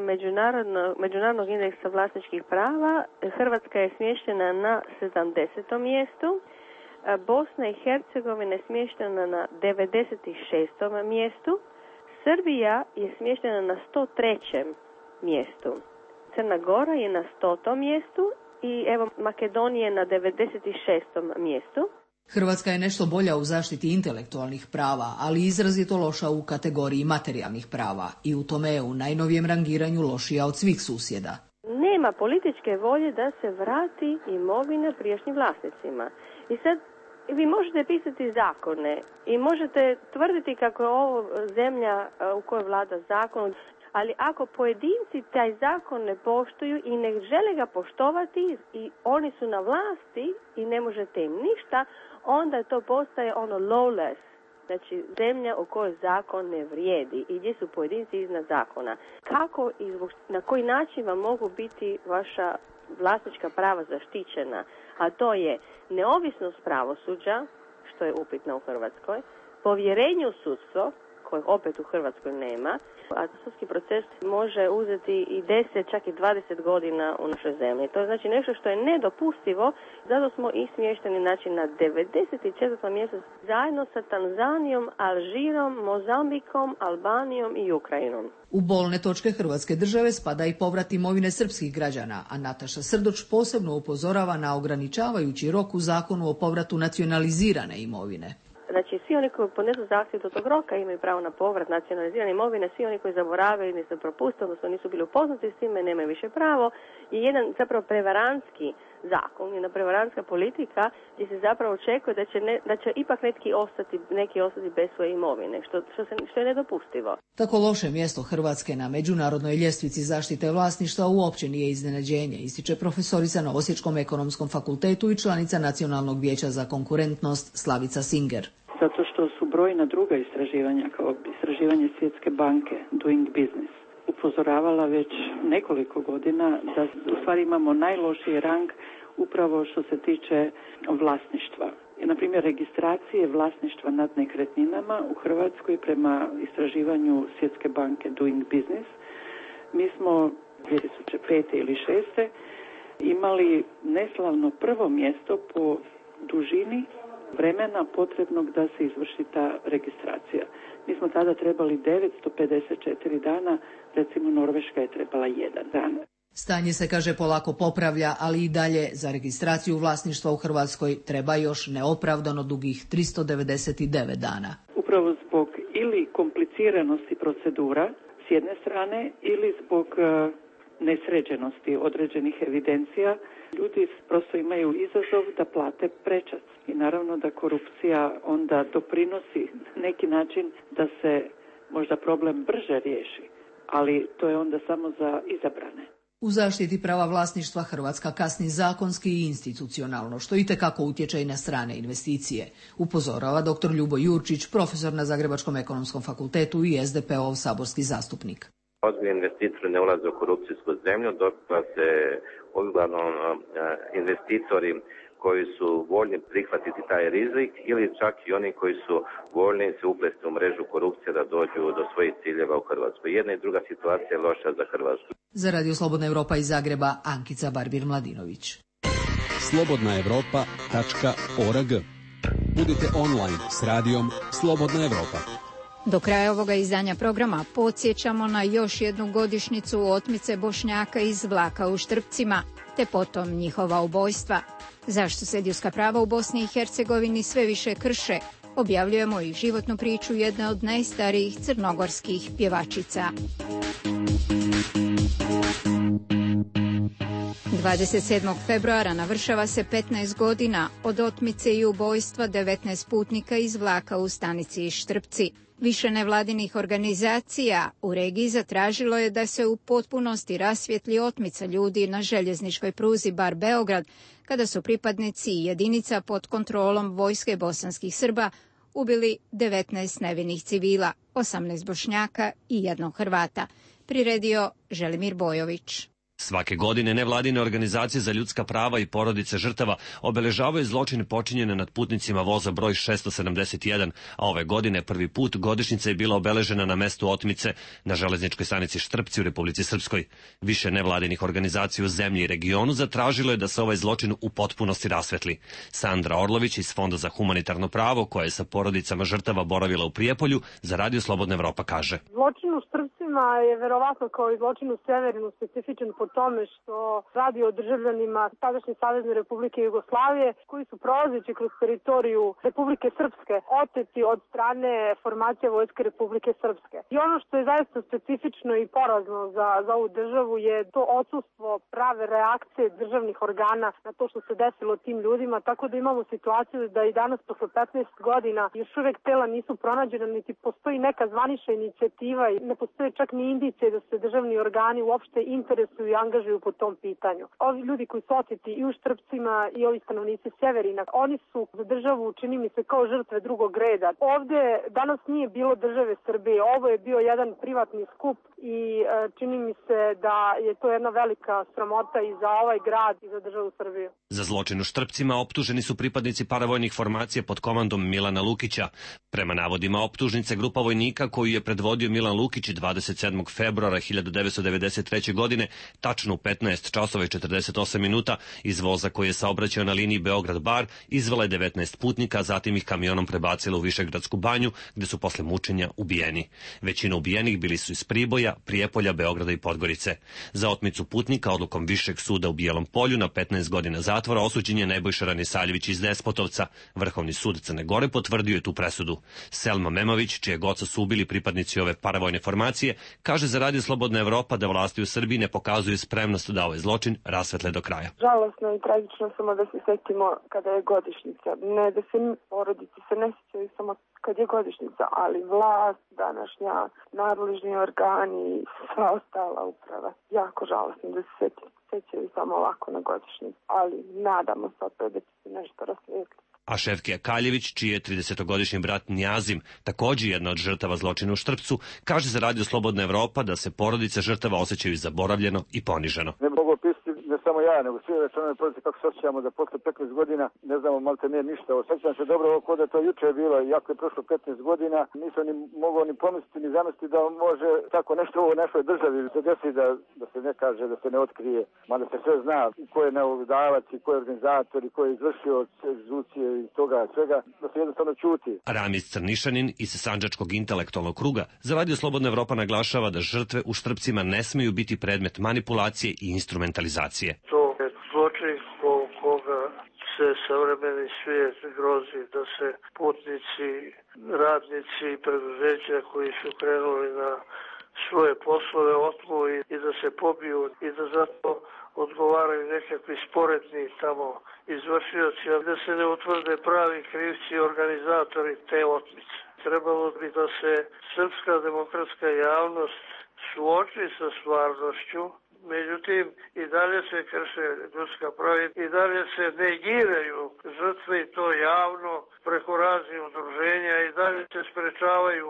međunarodnog indeksa vlasničkih prava Hrvatska je smještena na 70. mjestu, Bosna i Hercegovina je smještena na 96. mjestu, Srbija je smještena na 103. mjestu. Crna Gora je na 100. mjestu i evo Makedonija je na 96. mjestu. Hrvatska je nešto bolja u zaštiti intelektualnih prava, ali izrazito loša u kategoriji materijalnih prava i u tome je u najnovijem rangiranju lošija od svih susjeda. Nema političke volje da se vrati imovina prijašnjim vlasnicima. I sad vi možete pisati zakone i možete tvrditi kako je ovo zemlja u kojoj vlada zakon, ali ako pojedinci taj zakon ne poštuju i ne žele ga poštovati i oni su na vlasti i ne možete im ništa, onda to postaje ono lawless, znači zemlja u kojoj zakon ne vrijedi i gdje su pojedinci iznad zakona. Kako i na koji način vam mogu biti vaša vlasnička prava zaštićena, a to je neovisnost pravosuđa, što je upitno u Hrvatskoj, povjerenje u sudstvo, koje opet u Hrvatskoj nema, a sudski proces može uzeti i 10, čak i 20 godina u našoj zemlji. To je znači nešto što je nedopustivo, zato smo i smješteni znači, na 94. mjestu zajedno sa Tanzanijom, Alžirom, Mozambikom, Albanijom i Ukrajinom. U bolne točke Hrvatske države spada i povrat imovine srpskih građana, a Nataša Srdoč posebno upozorava na ograničavajući rok u zakonu o povratu nacionalizirane imovine. Znači, svi oni koji podnesu zahtjev do tog roka imaju pravo na povrat nacionalizirane imovine, svi oni koji zaboravili ili su propustili, odnosno nisu bili upoznati s time, nemaju više pravo. I jedan zapravo prevarantski zakon, jedna prevarantska politika gdje se zapravo očekuje da će ipak neki ostati bez svoje imovine, što je nedopustivo. Tako loše mjesto Hrvatske na međunarodnoj ljestvici zaštite vlasništva uopće nije iznenađenje, ističe profesorica na Osječkom ekonomskom fakultetu i članica Nacionalnog vijeća za konkurentnost Slavica Singer. Zato što su brojna druga istraživanja, kao istraživanje Svjetske banke Doing Business, upozoravala već nekoliko godina da u stvari imamo najlošiji rang upravo što se tiče vlasništva. Na primjer, registracije vlasništva nad nekretninama u Hrvatskoj prema istraživanju Svjetske banke Doing Business, mi smo 2005. ili 2006. imali neslavno prvo mjesto po dužini vremena potrebnog da se izvrši ta registracija. Mi smo tada trebali 954 dana, recimo Norveška je trebala 1 dan. Stanje se, kaže, polako popravlja, ali i dalje za registraciju vlasništva u Hrvatskoj treba još neopravdano dugih 399 dana. Upravo zbog ili kompliciranosti procedura s jedne strane ili zbog nesređenosti određenih evidencija, ljudi prosto imaju izazov da plate prečac. I naravno da korupcija onda doprinosi na neki način da se možda problem brže riješi, ali to je onda samo za izabrane. U zaštiti prava vlasništva Hrvatska kasni zakonski i institucionalno, što itekako utječe i na strane investicije, upozorava dr. Ljubo Jurčić, profesor na Zagrebačkom ekonomskom fakultetu i SDP-ov saborski zastupnik. Ozbiljni investitori ne ulaze u korupcijsku zemlju, dok se uglavnom investitori koji su voljni prihvatiti taj rizik ili čak i oni koji su voljni se uplesti u mrežu korupcije da dođu do svojih ciljeva u Hrvatskoj. Jedna i druga situacija je loša za Hrvatsku. Za Radio Slobodna Evropa iz Zagreba, Ankica Barbir-Mladinović. slobodnaevropa.org. Budite online s radijom Slobodna Evropa. Do kraja ovoga izdanja programa podsjećamo na još jednu godišnjicu otmice Bošnjaka iz vlaka u Štrpcima, te potom njihova ubojstva. Zašto se ljudska prava u Bosni i Hercegovini sve više krše, Objavljujemo i životnu priču jedne od najstarijih crnogorskih pjevačica. 27. februara navršava se 15 godina od otmice i ubojstva 19 putnika iz vlaka u stanici Štrpci. Više nevladinih organizacija u regiji zatražilo je da se u potpunosti rasvijetli otmica ljudi na željezničkoj pruzi Bar-Beograd, kada su pripadnici jedinica pod kontrolom vojske bosanskih Srba ubili 19 nevinih civila, 18 Bošnjaka i 1 Hrvata, priredio Želimir Bojović. Svake godine nevladine organizacije za ljudska prava i porodice žrtava obeležavaju zločine počinjene nad putnicima voza broj 671, a ove godine prvi put godišnjica je bila obeležena na mestu otmice na železničkoj stanici Štrpci u Republici Srpskoj. Više nevladinih organizacija u zemlji i regionu zatražilo je da se ovaj zločin u potpunosti rasvetli. Sandra Orlović iz Fonda za humanitarno pravo, koja je sa porodicama žrtava boravila u Prijepolju, za Radio Slobodna Evropa kaže: Zločin u Štrpcima je verovatno kao i zločin u Severinu specifičan po tome što radi o državljanima tadašnje Savezne Republike Jugoslavije koji su prolazeći kroz teritoriju Republike Srpske oteti od strane formacija Vojske Republike Srpske. I ono što je zaista specifično i porazno za ovu državu je to odsustvo prave reakcije državnih organa na to što se desilo tim ljudima, tako da imamo situaciju da i danas posle 15 godina još uvek tela nisu pronađena, niti postoji neka zvanična inicijativa i ne postoje čak ni indicije da se državni organi uopšte interesuju i angažuju po tom pitanju. Ovi ljudi koji su oteti i u Štrpcima i ovi stanovnici Severina, oni su za državu, čini mi se, kao žrtve drugog reda. Ovde danas nije bilo države Srbije, ovo je bio jedan privatni skup i čini mi se da je to jedna velika sramota i za ovaj grad i za državu Srbiju. Za zločin u Štrpcima optuženi su pripadnici paravojnih formacija pod komandom Milana Lukića. Prema navodima optužnice, grupa vojnika koju je predvodio Milan Lukić 27. februara 1993. godine, tačno u 15 časova i 48 minuta, iz voza koji je saobraćao na liniji Beograd-Bar, izvela je 19 putnika, a zatim ih kamionom prebacila u Višegradsku banju, gde su posle mučenja ubijeni. Većina ubijenih bili su iz Priboja, Prijepolja, Beograda i Podgorice. Za otmicu putnika odlukom Višeg suda u Bijelom Polju na 15 godina zatvora osuđen je Nebojša Ranisaljević iz Despotovca. Vrhovni sud Crne Gore potvrdio je tu presudu. Selma Memović, čije oca su ubili pripadnici ove paravojne formacije, kaže za Radio Slobodna Evropa da vlasti u Srbiji ne pokazuju spremnost da ovaj zločin rasvetle do kraja. Žalosno i tragično samo da se setimo kada je godišnjica. Ne da se porodice se ne sjećaju samo kad je godišnjica, ali vlast, današnja, nadležni organi, sva ostala uprava. Jako žalosno da se sećaju samo ovako na godišnjicu, ali nadamo se opet da će se nešto rasvijetliti. A Šefkija Kaljević, čiji je 30-godišnji brat Njazim, također jedna od žrtava zločina u Štrpcu, kaže za Radio Slobodna Evropa da se porodice žrtava osjećaju zaboravljeno i poniženo. Ne mogu opisati ne samo ja, nego svi članovi porodice kako se osjećamo da posle 15 godina ne znamo malte ne ništa. Osjećam se dobro ovo da to juče je bilo, iako je prošlo 15 godina, nisam ni mogao ni pomisliti ni zamisliti da može tako nešto u našoj državi se desi da se ne kaže, da se ne otkrije, mada se sve zna ko je nalogodavac i ko je organizator i ko je izvršio egzekucije i toga svega, da se jednostavno čuti. Ramiz Crnišanin iz Sandžačkog intelektualnog kruga za Radio Slobodna Evropa naglašava da žrtve u Štrpcima ne smeju biti predmet manipulacije i instrumentalizacije. To je zločin koga se savremeni svijet grozi, da se putnici, radnici i preduzeća koji su krenuli na svoje poslove otmu i da se pobiju i da zato odgovaraju nekakvi sporedni tamo izvršioci, a da se ne utvrde pravi krivci i organizatori te otmice. Trebalo bi da se srpska demokratska javnost suoči sa stvarnošću, međutim i dalje se krše ljudska prava i dalje se negiraju žrtve i to javno preko raznih udruženja i dalje se sprečavaju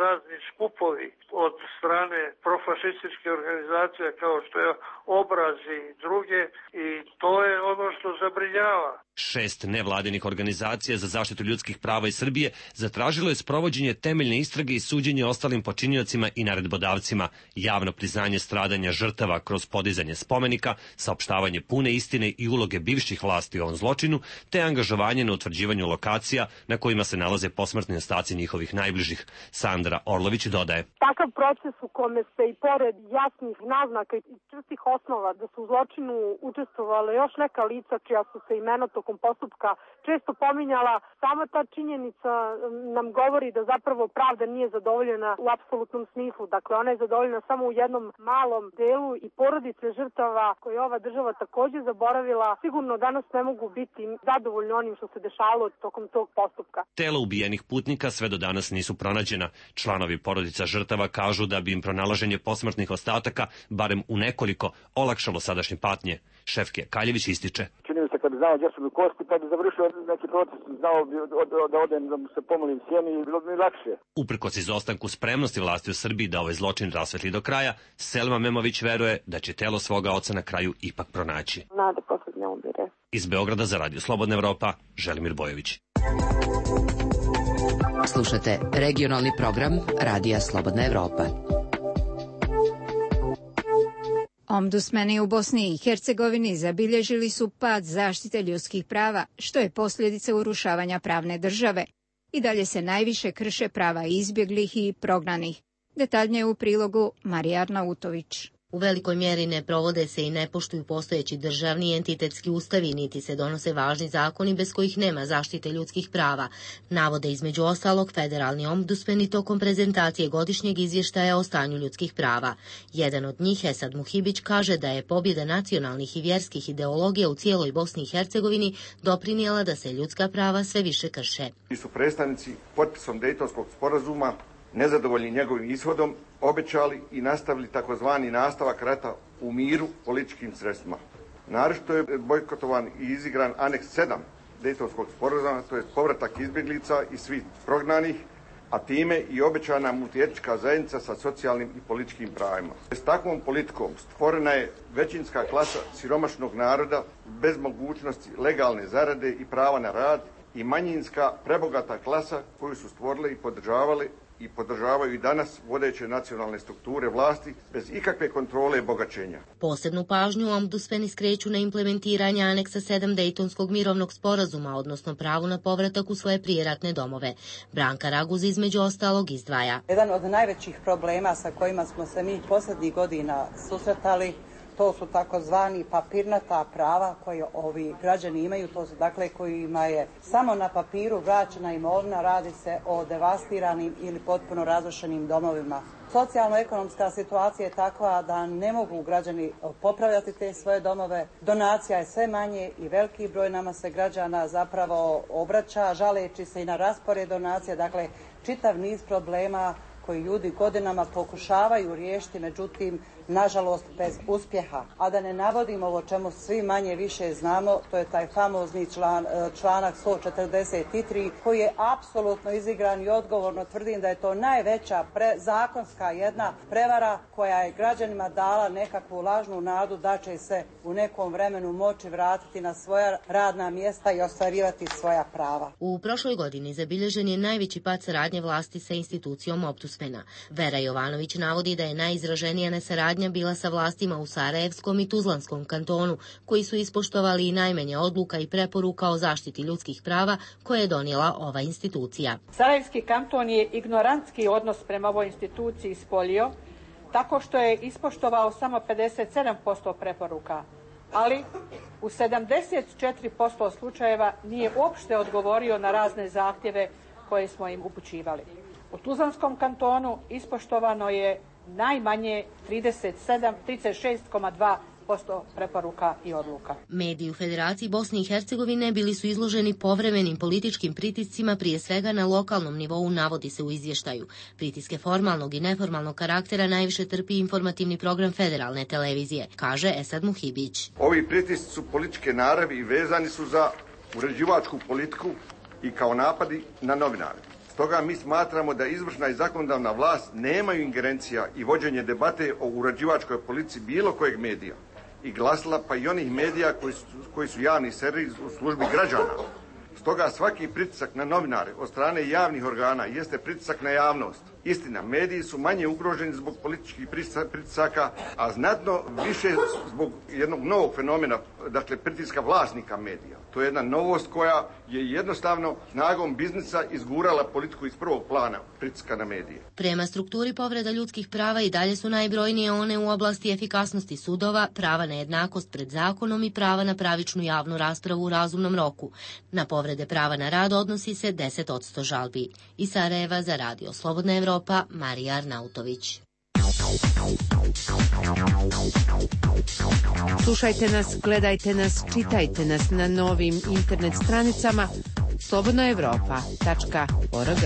razni skupovi od strane profašističke organizacije kao što je Obraz i druge i to je ono što zabrinjava. 6 nevladinih organizacija za zaštitu ljudskih prava iz Srbije zatražilo je sprovođenje temeljne istrage i suđenje ostalim počiniocima i naredbodavcima, javno priznanje stradanja žrtava kroz podizanje spomenika, saopštavanje pune istine i uloge bivših vlasti u ovom zločinu, te angažovanje na utvrđivanju lokacija na kojima se nalaze posmrtni ostaci njihovih najbližih. Sandra Sandra Orlović dodaje. Takav proces u kome se i pored jasnih naznaka i čvrstih osnova da su u zločinu učestvovale još neka lica čija su se imena tokom postupka često pominjala, sama ta činjenica nam govori da zapravo pravda nije zadovoljena u apsolutnom smislu. Dakle, ona je zadovoljena samo u jednom malom delu i porodice žrtava koje je ova država takođe zaboravila sigurno danas ne mogu biti zadovoljni onim što se dešavalo tokom tog postupka. Tela ubijenih putnika sve do danas nisu pronađena. Članovi porodica žrtava kažu da bi im pronalaženje posmrtnih ostataka barem u nekoliko olakšalo sadašnje patnje. Šefke Kaljević ističe. Čini mi se kad bi znao gdje su mi kosti, kad bi završio neki proces, znao bi da odem da mu se pomolim sjeni i bilo bi mi lakše. Uprkos izostanku spremnosti vlasti u Srbiji da ovaj zločin rasvetli do kraja, Selma Memović veruje da će telo svoga oca na kraju ipak pronaći. Nada poslednja umire. Iz Beograda za Radio Slobodna Evropa, Želimir Bojović. Slušate regionalni program Radija Slobodna Evropa. Ombudsmani u Bosni i Hercegovini zabilježili su pad zaštite ljudskih prava, što je posljedica urušavanja pravne države. I dalje se najviše krše prava izbjeglih i prognanih. Detaljnije u prilogu Marija Arnautović. U velikoj mjeri ne provode se i ne poštuju postojeći državni i entitetski ustavi, niti se donose važni zakoni bez kojih nema zaštite ljudskih prava, navode između ostalog federalni ombudsmeni tokom prezentacije godišnjeg izvještaja o stanju ljudskih prava. Jedan od njih, Esad Muhibić, kaže da je pobjeda nacionalnih i vjerskih ideologija u cijeloj Bosni i Hercegovini doprinijela da se ljudska prava sve više krše. Su predstavnici potpisom Dejtonskog sporazuma nezadovoljni njegovim ishodom, obećali i nastavili takozvani nastavak rata u miru političkim sredstvima. Naročito je bojkotovan i izigran aneks 7 Dejtonskog sporazuma, to je povratak izbjeglica i svih prognanih, a time i obećana multietnička zajednica sa socijalnim i političkim pravima. S takvom politikom stvorena je većinska klasa siromašnog naroda bez mogućnosti legalne zarade i prava na rad i manjinska prebogata klasa koju su stvorile i podržavaju i danas vodeće nacionalne strukture vlasti bez ikakve kontrole i bogaćenja. Posebnu pažnju ombudsmeni skreću na implementiranje aneksa 7 Dejtonskog mirovnog sporazuma, odnosno pravu na povratak u svoje prijeratne domove. Branka Raguz između ostalog izdvaja. Jedan od najvećih problema sa kojima smo se mi posljednjih godina susretali, to su takozvani papirnata prava koje ovi građani imaju, to su dakle kojima je samo na papiru vraćena imovina, radi se o devastiranim ili potpuno razrušenim domovima. Socijalno-ekonomska situacija je takva da ne mogu građani popravljati te svoje domove, donacija je sve manje i veliki broj nama se građana zapravo obraća, žaleći se i na raspored donacija, dakle čitav niz problema koji ljudi godinama pokušavaju riješiti, međutim, nažalost, bez uspjeha. A da ne navodim ovo čemu svi manje više znamo, to je taj famozni članak 143, koji je apsolutno izigran i odgovorno tvrdim da je to najveća zakonska jedna prevara koja je građanima dala nekakvu lažnu nadu da će se u nekom vremenu moći vratiti na svoja radna mjesta i ostvarivati svoja prava. U prošloj godini zabilježen je najveći pad saradnje vlasti sa institucijom ombudsmena. Vera Jovanović navodi da je najizraženija nesaradnja bila sa vlastima u Sarajevskom i Tuzlanskom kantonu, koji su ispoštovali i najmanje odluka i preporuka o zaštiti ljudskih prava koje je donijela ova institucija. Sarajevski kanton je ignorantski odnos prema ovoj instituciji ispolio, tako što je ispoštovao samo 57% preporuka, ali u 74% slučajeva nije uopšte odgovorio na razne zahtjeve koje smo im upućivali. U Tuzlanskom kantonu ispoštovano je najmanje 36,2% preporuka i odluka. Mediji u Federaciji Bosne i Hercegovine bili su izloženi povremenim političkim pritiscima, prije svega na lokalnom nivou, navodi se u izvještaju. Pritiske formalnog i neformalnog karaktera najviše trpi informativni program federalne televizije, kaže Esad Muhibić. Ovi pritisci su političke naravi i vezani su za uređivačku politiku i kao napadi na novinare. Stoga mi smatramo da izvršna i zakonodavna vlast nemaju ingerencija i vođenje debate o uređivačkoj politici bilo kojeg medija i glasila, pa i onih medija koji su javni servis u službi građana. Stoga svaki pritisak na novinare od strane javnih organa jeste pritisak na javnost Istina, mediji su manje ugroženi zbog političkih pritisaka, a znatno više zbog jednog novog fenomena, dakle pritiska vlasnika medija. To je jedna novost koja je jednostavno snagom biznisa izgurala politiku iz prvog plana pritiska na medije. Prema strukturi povreda ljudskih prava i dalje su najbrojnije one u oblasti efikasnosti sudova, prava na jednakost pred zakonom i prava na pravičnu javnu raspravu u razumnom roku. Na povrede prava na rad odnosi se 10% žalbi. Iz Sarajeva za Radio Slobodna Evropa, Marija Arnautović. Slušajte nas, gledajte nas, čitajte nas na novim internet stranicama slobodnaevropa.org.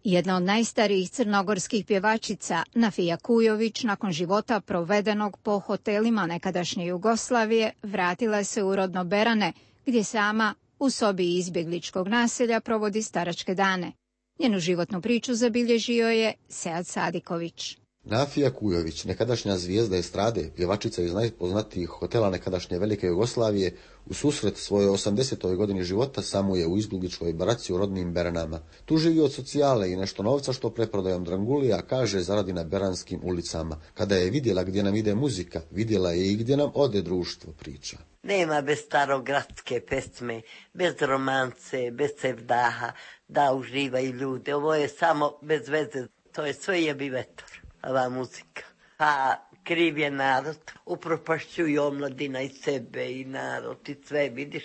Jedna od najstarijih crnogorskih pjevačica, Nafija Kujović, nakon života provedenog po hotelima nekadašnje Jugoslavije, vratila se u rodno Berane, gdje sama u sobi izbjegličkog naselja provodi staračke dane. Njenu životnu priču zabilježio je Sead Sadiković. Nafija Kujović, nekadašnja zvijezda estrade, pjevačica iz najpoznatijih hotela nekadašnje Velike Jugoslavije, u susret svojoj 80. godini života samo je u izbjegličkoj baraci u rodnim Beranama. Tu živi od socijale i nešto novca što preprodajom drangulija, kaže, zaradi na beranskim ulicama. Kada je vidjela gdje nam ide muzika, vidjela je i gdje nam ode društvo, priča. Nema bez starogradske pesme, bez romance, bez sevdaha, da uživaju ljude. Ovo je samo bez veze, to je sve jebi vetar, ova muzika. Pa kriv je narod, upropašćuju omladina i sebe i narod i sve, vidiš.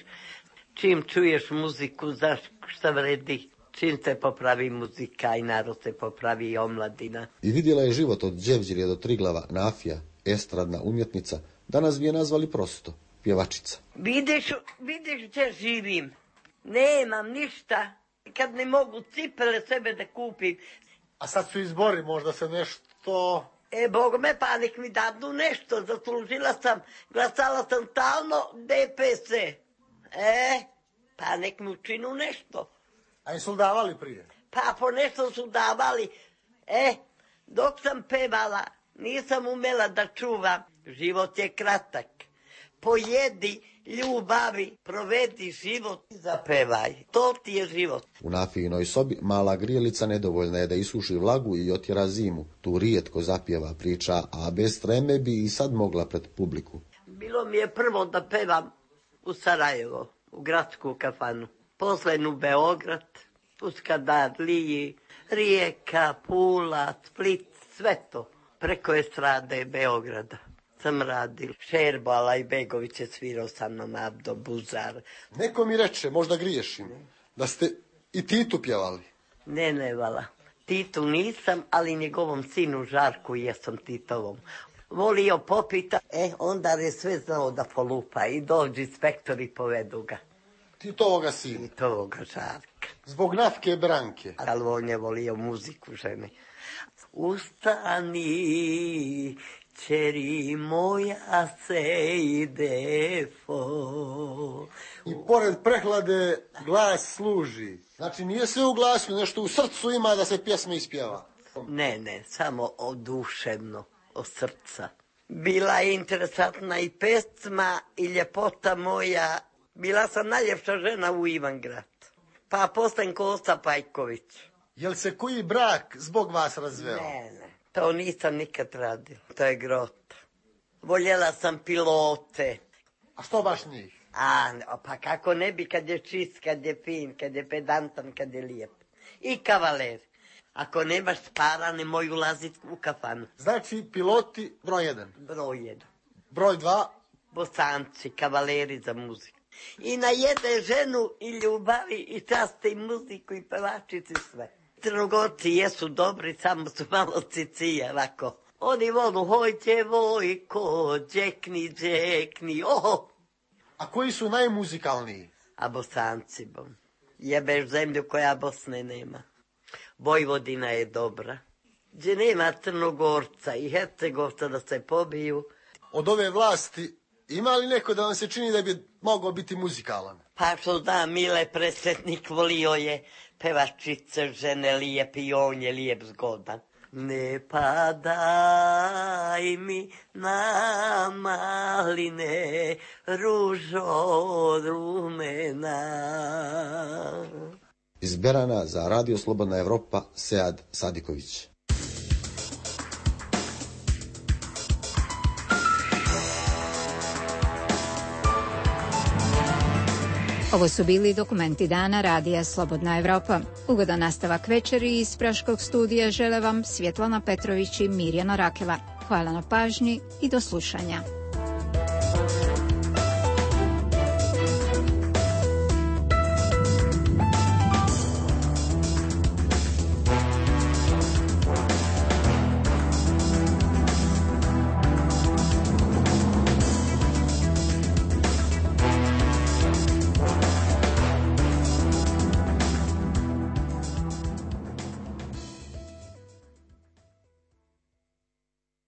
Čim čuješ muziku, znaš šta vredi. Čim se popravi muzika i narod se popravi i omladina. I vidjela je život od Đevđirje do Triglava. Nafija, estradna umjetnica, danas bi je nazvali prosto pjevačica. Vidiš gdje živim. Nemam ništa. Kad ne mogu cipele sebe da kupim. A sad su izbori, možda se nešto... Bog me, pa nek mi dadnu nešto. Zaslužila sam, glasala sam stalno DPS. Pa nek mi učinu nešto. A im su davali prije? Pa po nešto su davali. Dok sam pevala, nisam umela da čuvam. Život je kratak. Pojedi, ljubavi, provedi život i zapevaj. To ti je život. U Nafijinoj sobi mala grijelica nedovoljna je da isuši vlagu i otjera zimu. Tu rijetko zapjeva, priča, a bez treme bi i sad mogla pred publiku. Bilo mi je prvo da pevam u Sarajevo, u gradsku kafanu. Poslen u Beograd, u Skadarliji, Rijeka, Pula, Split, sve to. Preko estrade Beograda sam radil. Šerbo Alajbegović je svirao sa mnom, Abdo Buzar. Neko mi reče, možda griješim, da ste i Titu pjevali. Ne, vala. Titu nisam, ali njegovom sinu Žarku jesam Titovom. Volio popita, onda je sve znao da polupa i dođu inspektori i povedu ga. Titovoga sina? Titovoga Žarka. Zbog Nafke Branke? Ali on je volio muziku žene. Ustani, čeri moja se ide fo. I pored prehlade glas služi. Znači nije sve u glasu, nešto u srcu ima da se pjesma ispjeva. Ne, samo oduševno, od srca. Bila je interesantna i pesma i ljepota moja. Bila sam najljepša žena u Ivangrad. Pa poslen Kosta Pajković. Jel se koji brak zbog vas razveo? Ne, to nisam nikad radila. To je grota. Voljela sam pilote. A što baš njih? Pa kako ne bi, kad je čist, kad je fin, kad je pedantan, kad je lijep. I kavaler. Ako nemaš para, nemoj ulaziti u kafanu. Znači piloti broj 1. Broj 1. Broj 2. Bosanci, kavaleri za muziku. I najede ženu i ljubavi i časte i muziku i pevačici sve. Crnogorci jesu dobri, samo su malo cicije, ovako. Oni volu, hojte vojko, džekni, oho. A koji su najmuzikalniji? A Bosanci, bom. Jebeš zemlju koja Bosne nema. Vojvodina je dobra. Gdje nema Crnogorca i Hercegovca da se pobiju. Od ove vlasti ima li neko da vam se čini da bi mogao biti muzikalan? Pa što da, Mile Presretnik volio je pevačice, žene lijep i on je lijep zgodan. Ne padaj mi na maline, ružo rumena. Iz Berana za Radio Slobodna Evropa, Sead Sadiković. Ovo su bili dokumenti dana Radija Slobodna Evropa. Ugodan nastavak večeri iz Praškog studija žele vam Svjetlana Petrović i Mirjana Rakela. Hvala na pažnji i do slušanja.